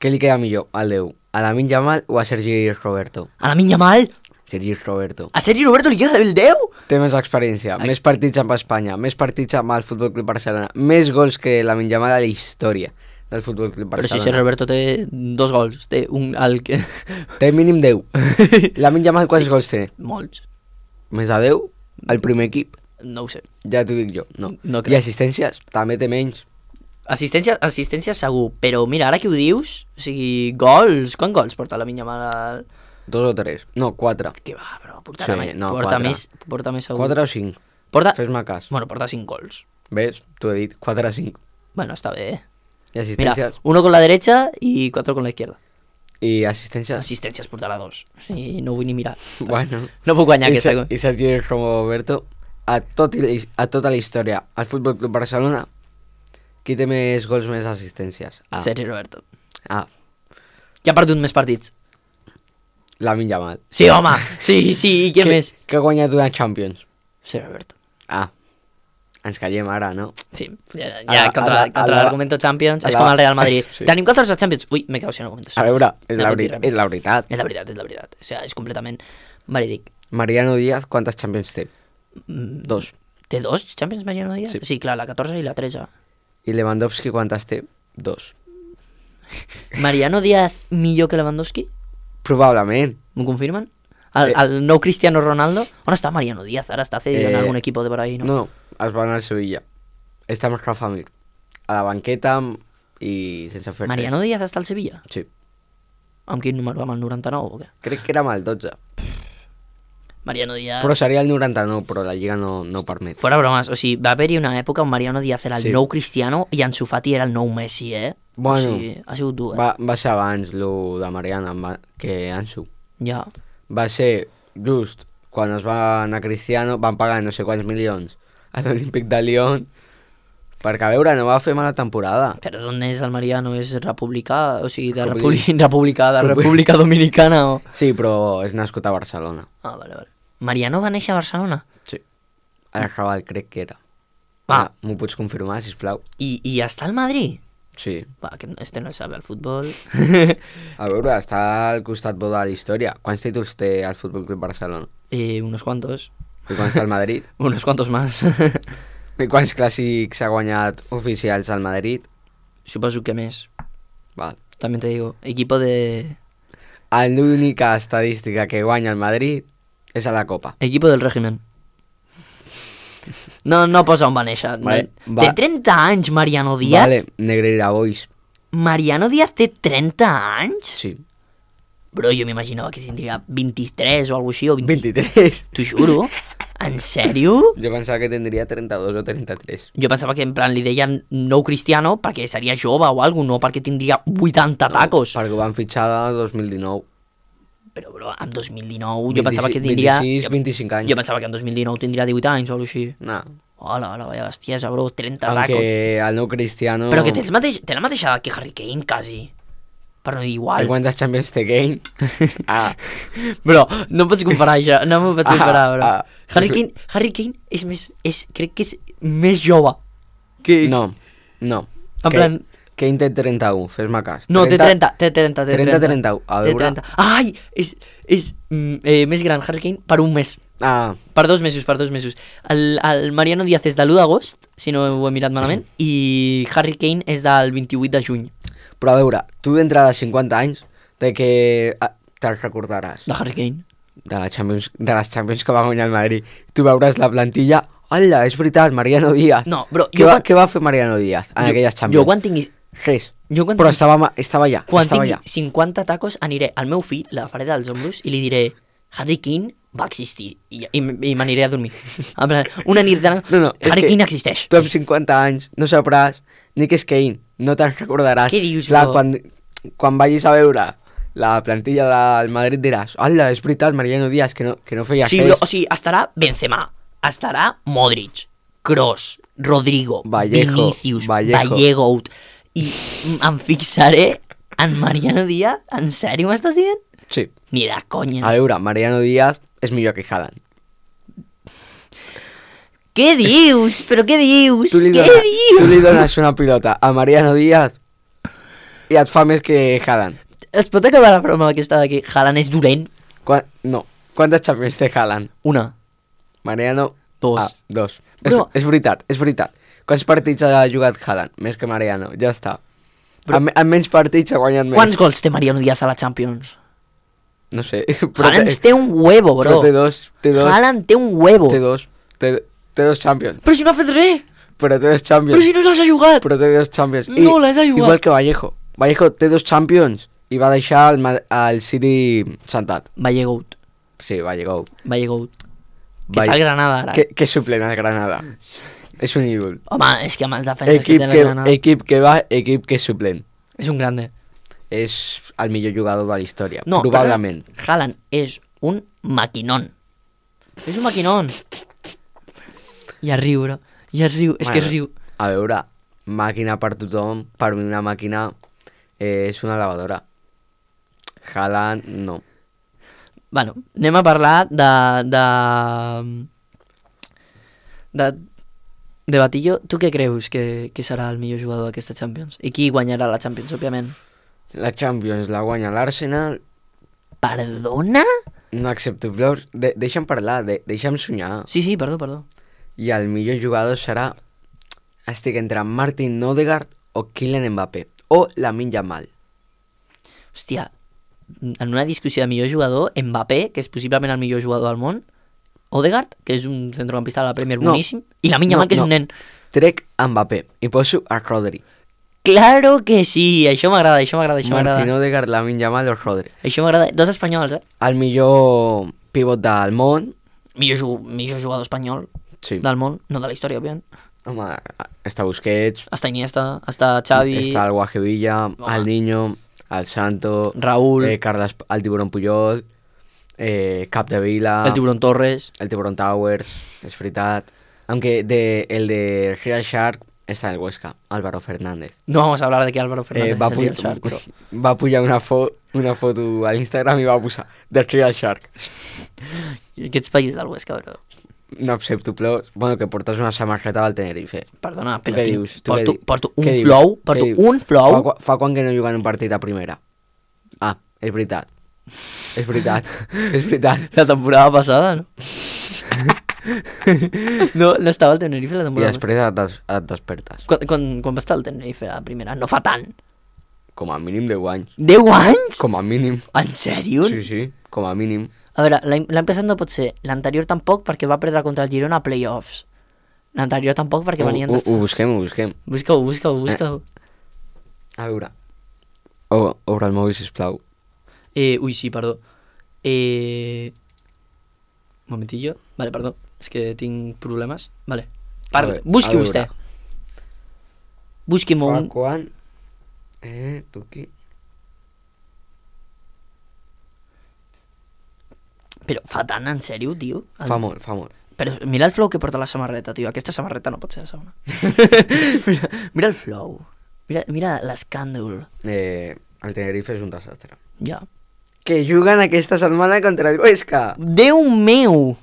Què li queda millor, al 10? A Lamine Yamal o a Sergi Roberto? A Lamine Yamal? Sergi Roberto. A Sergi Roberto li queda el 10? Té més experiència, més partits amb Espanya, més partits amb el Futbol Club Barcelona, més gols que Lamine Yamal a la història del Futbol Club Barcelona. Però si Sergi Roberto té 2 gols, té un... Té mínim 10. Lamine Yamal quants gols té? Molts. Més de 10? El primer equip? No ho sé. Ja t'ho dic jo, no. No I crec. assistències? També té menys. Assistència segur, però mira, ara que ho dius, o sigui, gols, quants gols porta Lamine Yamal al... 2 o 3, no, 4. Que va, però porta quatre. més segur. 4 o 5, fes-me cas. Bueno, porta 5 gols. ¿Ves? T'ho he dit, 4 a 5. Bueno, está bien. I Mira, assistències? 1 con la derecha y 4 con la izquierda. I assistències? Assistències portarà 2. Sí, no vull ni mirar. Bueno. No puc guanyar aquesta. I Sergi Roberto, a tota la història, al Futbol Club Barcelona, qui té més gols, més assistències? Sergi Roberto. Qui ha perdut més partits? Lamine Yamal. Sí, home! Sí, i què més? Que ha guanyat una Champions. Sergi Roberto. Ens callem ara, no? Sí, ja contra l'argumento Champions és com el Real Madrid. Sí. Tenim 14 Champions. Ui, m'he quedat sin argumentos. A veure, és la És veritat. la veritat. O sigui, és completament verídic. Mariano Díaz, quantes Champions té? 2. Té 2 Champions Mariano Díaz? Sí. Sí, clar, la 14 i la 13. I Lewandowski quantes té? 2. Mariano Díaz millor que Lewandowski? Probablement. M'ho confirmen? El nou Cristiano Ronaldo? On està Mariano Díaz? Ara està en algun equipo de por ahí, no? No, es va anar al Sevilla. Està amb Rafa Mir. A la banqueta i sense fer Mariano Díaz està al Sevilla? Sí. Amb quin número? Amb el 99 o què? Crec que era amb el 12. Mariano Díaz... Però seria el 99, però la Lliga no ho permet. Fora bromes, o sigui, va haver-hi una època on Mariano Díaz era el nou Cristiano i Ansu Fati era el nou Messi, Bueno, o sigui, ha sigut dur, va ser abans lo de Mariano que Ansu. Ja. Va ser just quan es va anar Cristiano, van pagar no sé quants milions a l'Olímpic de Lyon Perquè, a veure, no va fer mala temporada. Però d'on és el Mariano? És republicà? O sigui, de Republi- republicà, de República Dominicana o... Sí, però és nascut a Barcelona. Ah, vale. Mariano va néixer a Barcelona? Sí. A Raval crec que era. Ah. M'ho pots confirmar, sisplau? I està al Madrid? Sí. Va, que este no sabe el futbol. A veure, està al costat bo de la història. Quants títols té el Futbol Club Barcelona? Unos cuantos. I quants té el Madrid? Unos cuantos más. I quants clàssics ha guanyat oficials al Madrid? Suposo que més. Val. También te digo, equipo de... L'única estadística que guanya el Madrid és a la Copa. Equipo del régimen. No posa on va néixer. Vale, Té 30 anys, Mariano Díaz. Vale, Negreira Boys. Mariano Díaz té 30 anys? Sí. Bro, jo m'imaginava que tindria 23 o alguna així, o 20... 23. T'ho juro? En sèrio? Jo pensava que tindria 32 o 33. Jo pensava que en plan li deien nou Cristiano perquè seria jove o alguna cosa, no perquè tindria 80 tacos. Perquè ho van fitxar el 2019. Però, bro, en 2019 jo pensava que tindria... 26, 25 anys. Jo pensava que en 2019 tindria 18 anys o alguna així. No. Hola, vaya bestiesa, bro, 30 tacos. Aunque el nou Cristiano... Però que té la mateixa edat que Harry Kane, quasi. Per no dir igual. I quantes Champions té Kane? Ah. Bro, no pots comparar això, no m'ho pots comparar, bro. Ah. Harry Kane és més... crec que és més jove. Que... No. En plan... Kane té 31, fes-me cas. No, té 30. 30-31, a veure... Ai, és més gran Harry Kane per un mes. Ah, Per 2 mesos. El Mariano Díaz és de l'1 d'agost, si no ho he mirat malament, i Harry Kane és del 28 de juny. però a veure, tu d'entre de 50 anys, de que te'l recordaràs. De Harry Kane. De les Champions que va guanyar el Madrid. Tu veuràs la plantilla... Hola, és veritat, Mariano Díaz. No, bro, Què va fer Mariano Díaz en aquelles Champions? Jo quan tinguis... Res. Jo quan Però tinguis- estava allà. Quan estava tingui allà. 50 tacos aniré al meu fill, l'agafaré dels ombros i li diré Harry Kane va existir i m'aniré a dormir. En plan, una nit de... No, és Harry que Kane existeix. Tu amb 50 anys no sabràs ni què és Kane, no te'n recordaràs. Què dius, Clar, bro? quan vagis a veure la plantilla del Madrid diràs hola, és veritat, Mariano Díaz, que no feia Sí, res. bro, o sigui, estarà Benzema, estarà Modric, Kroos, Rodrigo, Vallejo, Vinicius, Vallejo. Vallejo, i em fixaré en Mariano Díaz? En sèrio m'estàs dient? Sí. Ni de conya. A veure, Mariano Díaz és millor que Haaland. Què dius? Però què dius? Tu li Què dones dius? una pilota a Mariano Díaz i et fa més que Haaland. Es pot acabar la broma aquesta de que Haaland és dolent? No. Quantes Champions té Haaland? Una. Mariano... 2. Ah, 2. Però- És veritat. Quants partits ha jugat Haaland? Més que Mariano, ja està. Però- En menys partits ha guanyat més. Quants gols té Mariano Díaz a la Champions? No sé. Haaland té un huevo, bro. Però té dos. Haaland té un huevo. Té dos. Té dos Champions. Però si no ha fet res. Però té dos Champions. Però si no les ha jugat. Però té dos Champions. No les ha jugat. Igual que Vallejo. Vallejo té dos Champions i va deixar el City sentat. Vallegout. Sí, Vallejo. Que està al Granada ara. Que suplent al Granada. És un ídol. Home, és que amb els defenses que té el Granada... Equip que va, equip que és suplent. És un grande. És el millor jugador de la història, No, probablement. però Haaland és un maquinón. És un maquinón. I es riu, bro. I es riu, és que es riu. A veure, màquina per tothom, per mi una màquina és una lavadora. Haaland, no. Bueno, anem a parlar de Batillo. Tu què creus que serà el millor jugador d'aquesta Champions? I qui guanyarà la Champions, òbviament? La Champions la guanya l'Arsenal. Perdona? No accepto flors. Deixa'm parlar, deixa'm soñar. Sí, perdó. I el millor jugador serà... Estic entre Martin Odegaard o Kylian Mbappé. O Lamine Yamal. Hòstia, en una discussió de millor jugador, Mbappé, que és possiblement el millor jugador del món, Odegaard, que és un centrocampista de la Premier boníssim, i Lamine Yamal, que és un nen. Trec Mbappé i poso a Rodri. Claro que sí, això m'agrada. Martin Odegaard, Lamine Yamal o Rodri. Això m'agrada. Dos espanyols, El millor pivot del món. Millor jugador espanyol Sí. del món, no de la història, òbviament. Home, està Busquets, Està Iniesta, està Xavi, està el Guajevilla, el Niño, el Santo, Raúl, Carles, el Tiburón Puyol, Capdevila, el Tiburón Torres. el Tiburón Towers, és veritat. Aunque el de Real Shark Está en el Huesca, Álvaro Fernández. No vamos a hablar de que Álvaro Fernández va, es el Real Shark, però... va pujar una foto a l'Instagram i va posar The Real Shark. I aquests països del Huesca, bro. No accepto plors. Bueno, que portes una samarreta del Tenerife. Perdona, Tu però què dius? porto un flow. Fa quan que no juguen un partit a primera. Ah, és veritat. És veritat. La temporada passada, no? No estava al Tenerife la I temporada després et despertes. Quan va estar al Tenerife a primera? No fa tant. Com a mínim 10 anys. 10 anys? Com a mínim. En sèrio? Sí, com a mínim. A veure, l'any passat no pot ser. L'anterior tampoc perquè va perdre contra el Girona a playoffs. L'anterior tampoc perquè venien... Ho busquem. Busca-ho. A veure. Obre el mòbil, sisplau. Ui, sí, perdó. Un momentillo. Vale, perdó. És que tinc problemes. Vale. Busqui vostè. Busqui'm un... Fa quan... tu aquí... Però fa tant, en sèrio, tio? Fa molt. Però mira el flow que porta la samarreta, tio. Aquesta samarreta no pot ser la segona. mira el flow. Mira l'escàndol. El Tenerife és un desastre. Ja. Que juguen aquesta setmana contra el Huesca. Déu meu!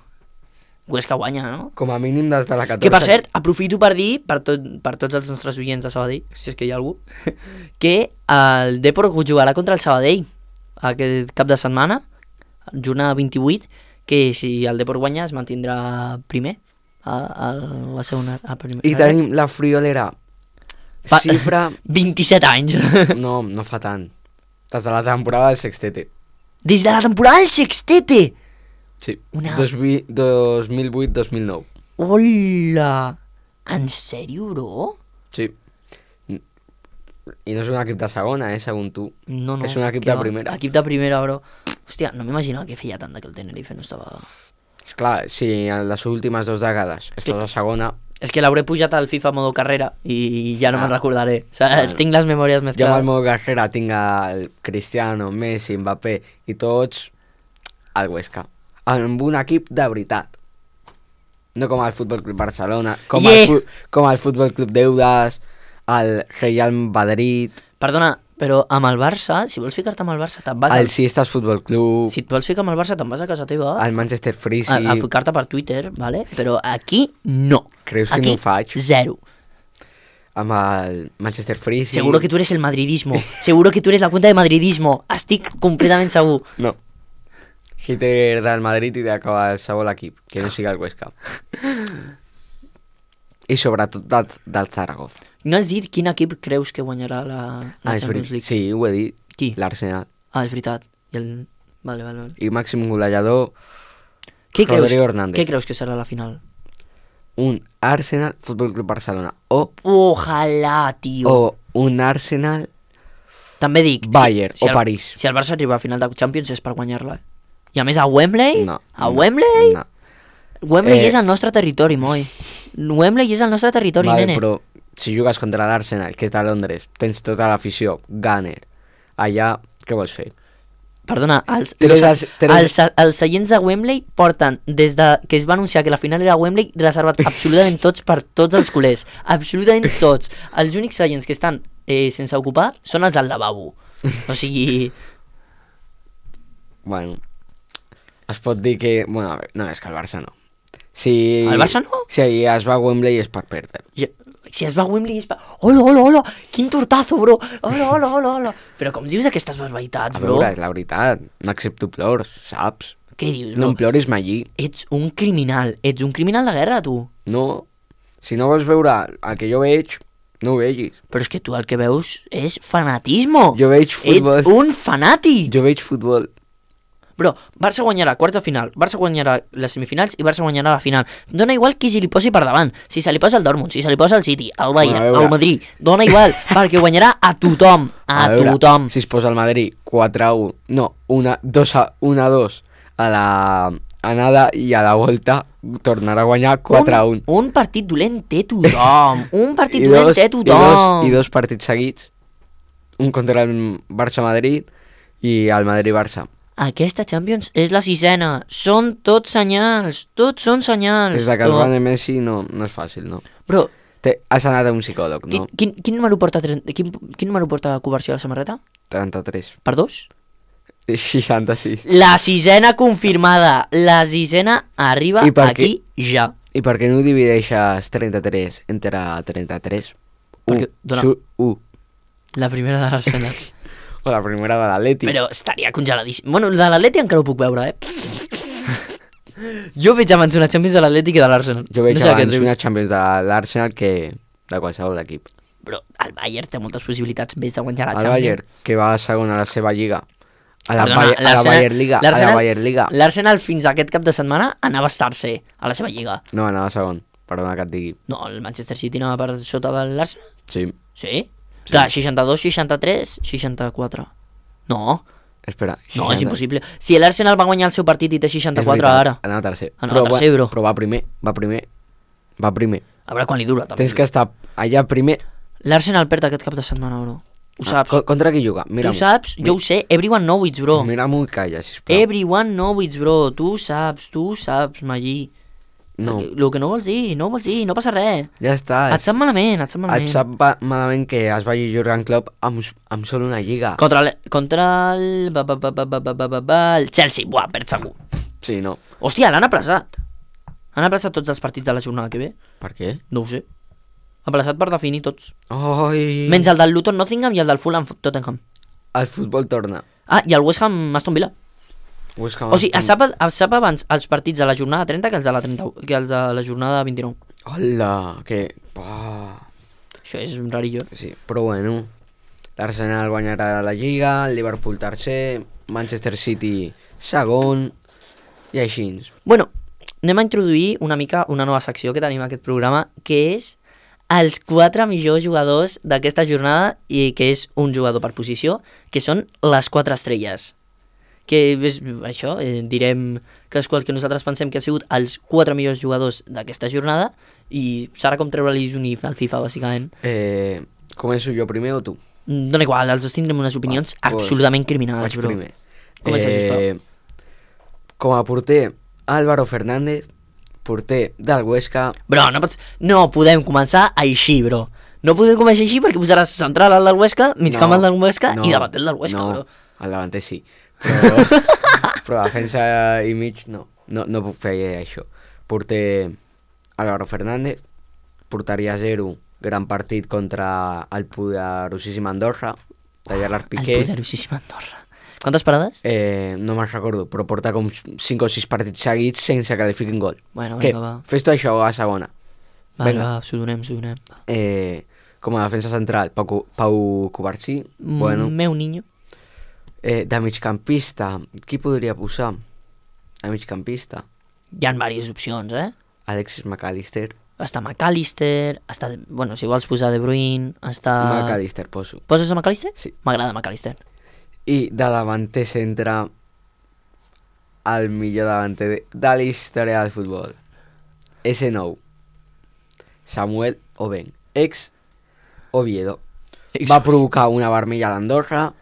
Huesca guanya, no? Com a mínim des de la 14. Que, per cert, aprofito per dir, per tots els nostres oients de Sabadell, si és que hi ha algú, que el Depor jugarà contra el Sabadell aquest cap de setmana, jornada 28, que si el Depor guanya es mantindrà primer a la segona... I tenim la friolera xifra... 27 anys. No fa tant. Des de la temporada del Sextete. Des de la temporada del Sextete! Sí, 2008-2009. Hola! En sèrio, bro? Sí. I no és un equip de segona, segons tu. No. És un equip de primera. Equip de primera, bro. Hòstia, no m'imaginava que feia tant que el Tenerife no estava... Esclar, si en les últimes 2 dècades estàs a segona... És que l'hauré pujat al FIFA modo carrera i ja no me'n recordaré. O sigui, tinc les memòries més clares. Jo clares. amb el modo carrera tinc el Cristiano, Messi, Mbappé i tots al Huesca. Amb un equip de veritat. No com el Futbol Club Barcelona, com el Futbol Club d'Eudes, el Real Madrid... Perdona, però amb el Barça, si vols ficar-te amb el Barça, te'n vas... El Siestas Futbol Club... Si et vols ficar amb el Barça, te'n vas a casa teva. El Manchester Freezy... A ficar-te per Twitter, ¿vale? Però aquí no. Creus que no ho faig? Zero. Amb el Manchester Freezy... Seguro que tú eres el madridismo. Seguro que tú eres la cuenta de madridismo. Estic completament segur. No. Hitler del Madrid i d'acabar el segon equip, que no siga el Huesca. I sobretot del Zaragoza. No has dit quin equip creus que guanyarà la Champions League? Sí, ho he dit. Qui? L'Arsenal. És veritat. Vale. I màxim golejador, Rodrigo Hernández. Què creus que serà la final? Un Arsenal Futbol Club Barcelona. Ojalà, tio. O un Arsenal... També dic... Bayern o París. Si el Barça arriba a final de Champions és per guanyar-la. I a més a Wembley? No. A Wembley? No. Wembley és el nostre territori, moi. Wembley és el nostre territori, vale, nene. Però si jugues contra l'Arsenal, que és a Londres, tens tota l'afició, Gunner, allà, què vols fer? Perdona, els seients de Wembley porten, des de que es va anunciar que la final era a Wembley, reservat absolutament tots per tots els culers. Absolutament tots. Els únics seients que estan sense ocupar són els del lavabo. O sigui... Bueno, es pot dir que... Bueno, a veure, no, és que el Barça no. El Barça no? Si es va a Wembley és per perdre. Si es va a Wembley és per... Hola, quin tortazo, bro. Hola. Però com dius aquestes barbaritats, bro? A veure, és la veritat. No accepto plors, saps? Què dius, bro? No em ploris mai. Ets un criminal de guerra, tu. No, si no vols veure el que jo veig, no ho vegis. Però és que tu el que veus és fanatismo. Jo veig futbol. Ets un fanàtic. Jo veig futbol. Bro, Barça guanyarà quarta final, Barça guanyarà les semifinals i Barça guanyarà la final. Dona igual qui se li posi per davant. Si se li posa el Dortmund, si se li posa el City, el Bayern, el Madrid, dona igual, perquè guanyarà a tothom. A tothom. Si es posa el Madrid 4-1, no, 1-2 a la anada i a la volta tornarà a guanyar 4-1. Un partit dolent té tothom. Un partit dolent té tothom. I dos partits seguits, un contra el Barça-Madrid i el Madrid-Barça. Aquesta Champions és la 6ena. Són tots senyals. Tots són senyals. Des que el Messi no és fàcil, no? Però... Has anat a un psicòleg, no? Quin número porta quin número porta Covarsí a la samarreta? 33. Per 2? 66. La sisena confirmada. La sisena arriba aquí ja. I per què no divideixes 33 entre 33? Perquè dona... 1. La primera de l'Arsenal. O la primera de l'Atleti. Però estaria congeladíssim. Bueno, de l'Atleti encara ho puc veure, Jo veig abans una Champions de l'Atleti que de l'Arsenal. Jo veig abans una Champions de l'Arsenal que de qualsevol equip. Però el Bayern té moltes possibilitats més de guanyar la Champions. El Bayern, que va segon a la seva lliga. A la Bayern Liga. L'Arsenal fins a aquest cap de setmana anava a estar-se a la seva lliga. No, anava segon. Perdona que et digui. No, el Manchester City anava per sota de l'Arsenal? Sí. Sí? Clar, 62, 63, 64. No. Espera, 60. No, és impossible. Si l'Arsenal va guanyar el seu partit i té 64 ara. Anava tercer. Anava tercer, bro. Però va primer. Va primer. A veure quan li dura, també. Tens que estar allà primer. L'Arsenal perd aquest cap de setmana, bro. Ho saps? Contra qui juga? Tu saps? Jo ho sé. Everyone knows, bro. Mira-m'ho i calla, sisplau. Everyone knows, bro. Tu saps, Magí. No. El que no vols dir, no passa res. Ja està. Et sap malament. Et sap malament que es vagi Jurgen Klopp amb sol una lliga. Contra el Chelsea. Buah, perd segur. Sí, no. Hòstia, l'han aplaçat. Han aplaçat tots els partits de la jornada que ve. Per què? No ho sé. Aplaçat per definir tots. Oi. Menys el del Luton Nottingham i el del Fulham Tottenham. El futbol torna. Ah, i el West Ham Aston Villa. O sigui, es sap abans els partits de la jornada 30 que els de la jornada 29. Hola, que... Això és rarillo. Sí, però bueno, l'Arsenal guanyarà la Lliga, el Liverpool tercer, Manchester City segon, i així. Bueno, anem a introduir una mica una nova secció que tenim a aquest programa, que és els 4 millors jugadors d'aquesta jornada, i que és un jugador per posició, que són les 4 estrelles. Que és això, direm que és qual que nosaltres pensem que han sigut els 4 millors jugadors d'aquesta jornada, i serà com treure-li un if al FIFA, bàsicament. Començo jo primer o tu? Dona igual, els dos tindrem unes opinions absolutament criminals, bro. Primer. Comença, sisplau. Com a porter, Álvaro Fernández, porter del Huesca... Bro, no podem començar així, bro. No podem començar així perquè posaràs central al del Huesca, migcamp al del Huesca i davanter del Huesca, bro. No, el davanter sí. Però defensa i mig no puc fer això. Porter Álvaro Fernández, porteria 0, gran partit contra el poderosíssim Andorra, de Gerard Piqué. El poderosíssim Andorra. Quantes parades? No me'n recordo, però porta com 5 o 6 partits seguits sense que li fiquin gol. Bueno, què? Va. Fes-te això a segona. Va, s'ho donem. Com a defensa central, Pau Covarsí. Bueno. Meu niño. De migcampista, qui podria posar? A migcampista. Hi ha diverses opcions, Alexis McAllister. Està McAllister, bueno, si vols posar De Bruyne, està... McAllister poso. Poses a McAllister? Sí. M'agrada McAllister. I de davanter centre, el millor davanter de la història del futbol. S9. Samuel Oben, ex Oviedo. Va provocar una vermella a l'Andorra,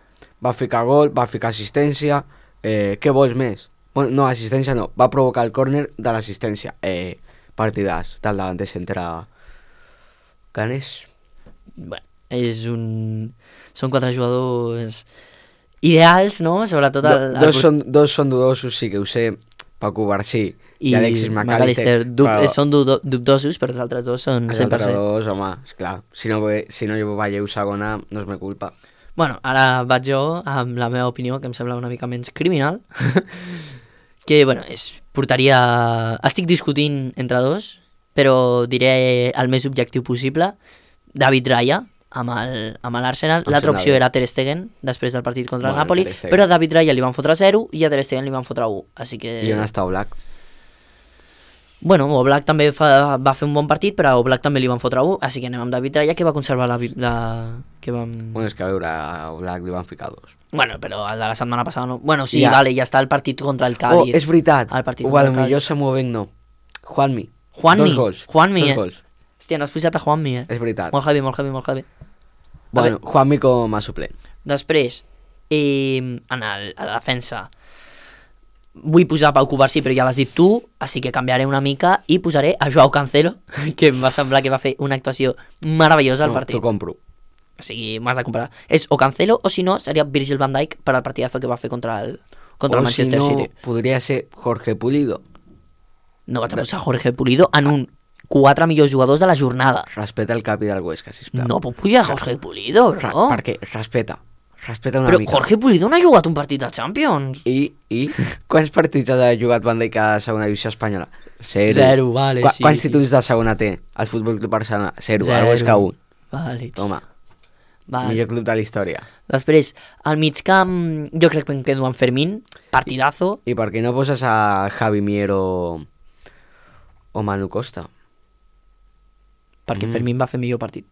va ficar gol, va ficar assistència. Què vols més? Bueno, no, assistència no. Va provocar el córner de l'assistència. Partidàs del davanter centre ganes. Bueno, són 4 jugadors ideals, no? Sobretot dos són dudosos, sí que ho sé. Pau Covarsí i Alexis McAllister són dubtosos, però els altres dos són 100%. Els altres dos, home, esclar. Si no veieu segona, no és meva culpa. Bueno, ara vaig jo amb la meva opinió, que em sembla una mica menys criminal. Que, bueno, portaria... Estic discutint entre dos, però diré el més objectiu possible. David Raya, amb l'Arsenal. L'altra opció era Ter Stegen, després del partit contra el Napoli, però a David Raya li van fotre 0 i a Ter Stegen li van fotre 1. Així que... I on està Oblak? Bueno, Oblak també va fer un bon partit, però a Oblak també li van fotre 1, així que anem amb David Raya, que va conservar Bueno, és que a veure, a Oblak li van ficar 2. Bueno, però el de la setmana passada no. Bueno, sí, vale, ja està el partit contra el Cádiz. Oh, és veritat. O potser se mueven no. Juanmi. Dos gols. Hòstia, no has posat a Juanmi, És veritat. Molt heavy. Bueno, Juanmi com a suplent. Després, a la defensa, vull posar Pau Cubarsí, però ja l'has dit tu, així que canviaré una mica i posaré a Joao Cancelo, que em va semblar que va fer una actuació meravellosa al partit. T'ho compro. O sigui, m'has de comparar. És o Cancelo o si no, seria Virgil van Dijk per al partidazo que va fer contra el Manchester City. Podria ser Jorge Pulido. No vaig a posar Jorge Pulido en un 4 millors jugadors de la jornada. Respeta el capi del Huesca, sisplau. No puc pujar Jorge Pulido, bro. Perquè respeta una Però mica. Jorge Pulido no ha jugat un partit de Champions. I quants partits ha jugat Van Dijk a segona divisió espanyola? Zero, vale, sí. Quants títols de segona té el Futbol Club Barcelona? Zero, el Huesca 1. Vale. Toma, Vale. millor club de la història. Després, al migcamp, jo crec que em quedo amb Fermín, partidazo. I per què no poses a Javi Mier o Manu Costa? Perquè Fermín va fer millor partit.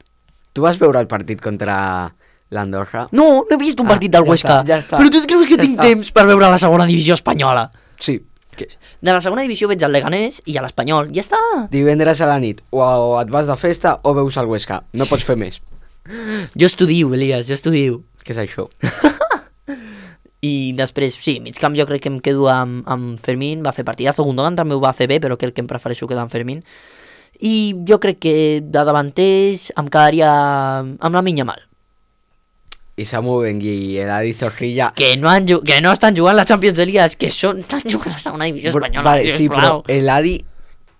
Tu vas veure el partit contra l'Andorra? No he vist un partit del Huesca. Ja està. Però tu et creus que tinc temps per veure la segona divisió espanyola? Sí. De la segona divisió veig el Leganés i a l'Espanyol. Ja està. Divendres a la nit, o et vas de festa o veus el Huesca. No pots fer més. Jo estudio, Elias, jo estudio. Què és això? I després, sí, migcamp jo crec que em quedo amb Fermín, va fer partidazo. Gundogan també ho va fer bé, però crec que em prefereixo quedar amb Fermín. I jo crec que de davanters em quedaria amb la Yamal. I Samu Bengue i Eladi Zorrilla... Que no estan jugant la Champions, Elias, que estan jugant la segona divisió espanyola. Vale, sí, però Eladi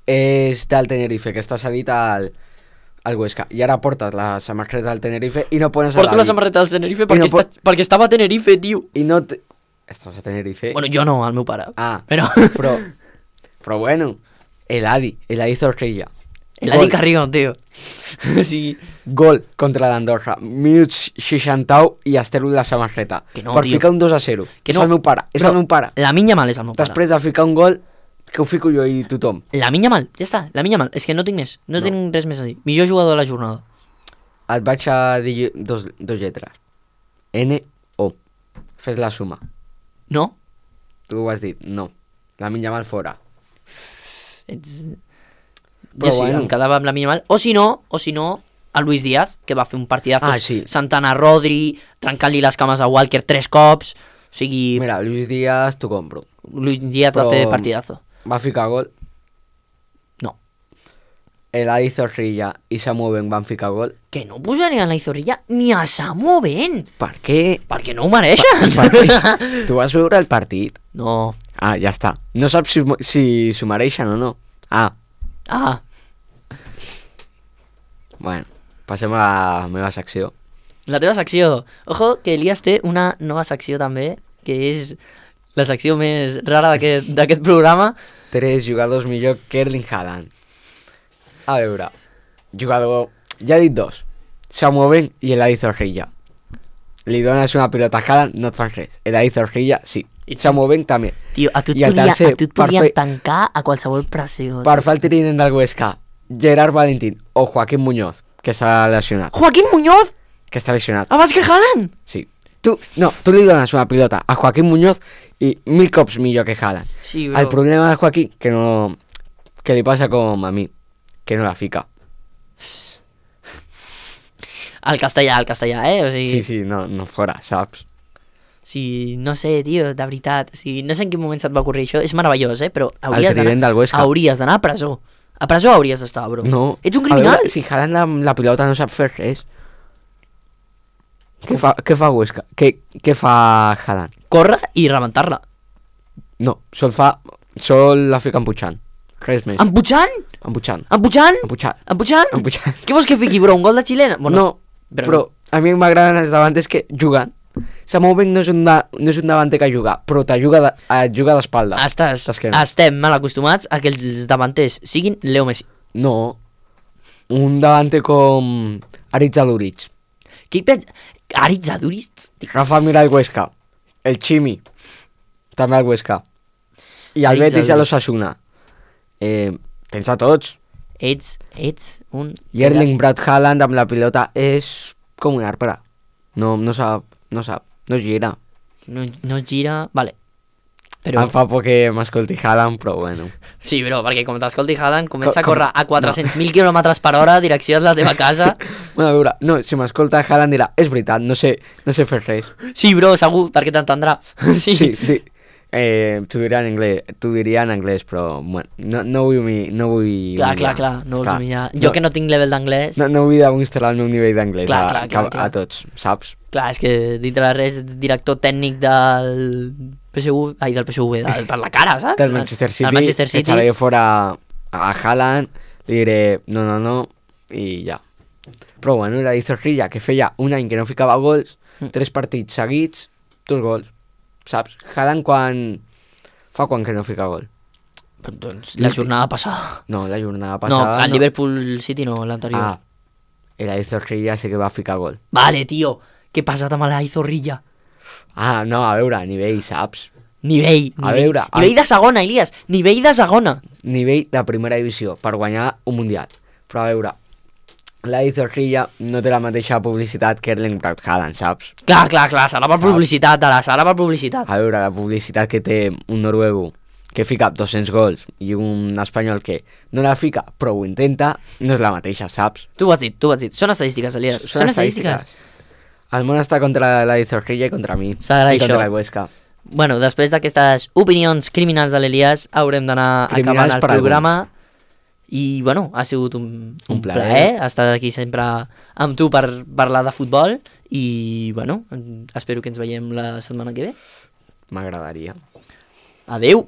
és del Tenerife, que està cedit al Huesca. I ara portes la samarreta del Tenerife i no pones Porto la samarreta del Tenerife perquè estava a Tenerife, tio. I no... Estaves a Tenerife? Bueno, jo no, el meu pare. Ah, però bueno, Eladi Zorrilla. Eladi Carrión, tio. Sí. Gol contra l'Andorra, minuts 61 i estero la samarreta. Que no, per tio. ficar un 2-0. Que és no. el meu pare, és el meu pare. La Yamal és el meu pare. Després de ficar un gol, que ho fico jo i tothom. La Yamal, ja està, la Yamal. És que no tinc més, no tinc res més a dir. Millor jugador de la jornada. Et vaig a dir dos lletres. N-O. Fes la suma. No? Tu ho has dit, no. La Yamal fora. Jo sí, em quedava amb la Yamal. O si no, el Luis Díaz, que va fer un partidazo. Sí. Santana Rodri, trencant-li les cames a Walker 3 cops. O sigui... Mira, Luis Díaz t'ho compro. Luis Díaz va fer partidazo. Va ficar gol? No. Eladi Zorrilla i Samu Bengue van ficar gol? Que no posarien la Zorrilla ni a Samu Bengue. Per què? Perquè no ho mereixen. Tu vas veure el partit? No. Ah, ja està. No saps si s'ho mereixen o no. Ah. Bueno, passem a la meva secció. La teva secció. Ojo, que Elias té una nova secció també, que és la secció més rara d'aquest programa. 3 jugadors millor que Erling Haaland. A veure, jugador... Ja he dit 2. Samu Bengue i Eladi Zorrilla. Li dones una pilota a Haaland, no et fan res. Eladi Zorrilla, sí. Samu Bengue també. Tio, a tu et podien tancar a qualsevol pressió. Per fer el trinent del Huesca, Gerard Valentín o Joaquín Muñoz, que està lesionat. Joaquín Muñoz? Que està lesionat. Abans que Haaland? Sí. Tu li dones una pilota a Joaquín Muñoz i 1000 cops millor que Haaland. Sí, bro. El problema de Joaquín, que li passa com a mi, que no la fica. Al castellà, O sigui... Sí, no fora, saps? Sí, no sé, tio, de veritat. O sigui, no sé en quin moment se't va ocórrer això. És meravellós, però hauries d'anar a presó. A presó hauries d'estar, bro. No. Ets un criminal. Veure, si Haaland amb la pilota no sap fer res. Què fa Huesca? Què fa Haaland? Corre i rebentar-la. No, sol la fica empujant. Res més. Empujant? Empujant. Què vols que fiqui, bro? Un gol de xilena? Bueno, no, però a mi m'agraden els davanters que juguen. Samu Bengue no és un davanter que juga, però et juga d'espalda. Estem mal acostumats a que els davanters siguin Leo Messi. No, un davanter com Aritz Aduriz. Qui pensa? Aritz Aduriz? Rafa Mir al Huesca. El Chimi, també al Huesca. I el Betis a l'Osasuna. Tens a tots. Ets un... I Erling Braut Haaland amb la pilota és com un arbre. No gira. No gira, vale. Però... Em fa por que m'escolti Haaland, però bueno. Sí, bro, perquè com t'escolti Haaland comença a córrer a 400.000 km/h direcció a la teva casa. Bueno, a veure, no, si m'escolta Haaland dirà, és veritat, no sé fer res. Sí, bro, segur, perquè t'entendrà. Sí. t'ho diria en anglès, però bueno, no vull Clar, no vols humillar. Jo que no tinc level d'anglès... No vull demostrar el meu nivell d'anglès a tots, saps? Clar, és que dintre de res ets director tècnic del PSV, per la cara, saps? Del Manchester City, echaré fora a Haaland, li diré no, i ja. Però bueno, la Zorrilla, que feia un any que no ficava gols, 3 partits seguits, 2 gols. Saps? Haaland fa quan que no fica gol? Doncs la jornada passada. No, la jornada passada... No, al Liverpool City no, l'anterior. El Zorrilla sí que va ficar gol. Vale, tio, què passa amb la Zorrilla? No, a veure, nivell, saps? Nivell de segona, Elias, nivell de segona. Nivell de primera divisió, per guanyar un mundial. Però a veure, la Zorrilla no té la mateixa publicitat que Erling Braut Haaland, saps? Clar, serà per publicitat, serà per publicitat. A veure, la publicitat que té un noruego que fica 200 gols i un espanyol que no la fica però ho intenta, no és la mateixa, saps? Tu ho has dit. Són estadístiques, Elias. Són estadístiques. El món està contra la Zorrilla i contra mi. S'agrada i contra això. el Huesca. Bueno, després d'aquestes opinions criminals de l'Elias, haurem d'anar acabant el programa. I, bueno, ha sigut un plaer estar aquí sempre amb tu per parlar de futbol i, bueno, espero que ens veiem la setmana que ve. M'agradaria. Adeu!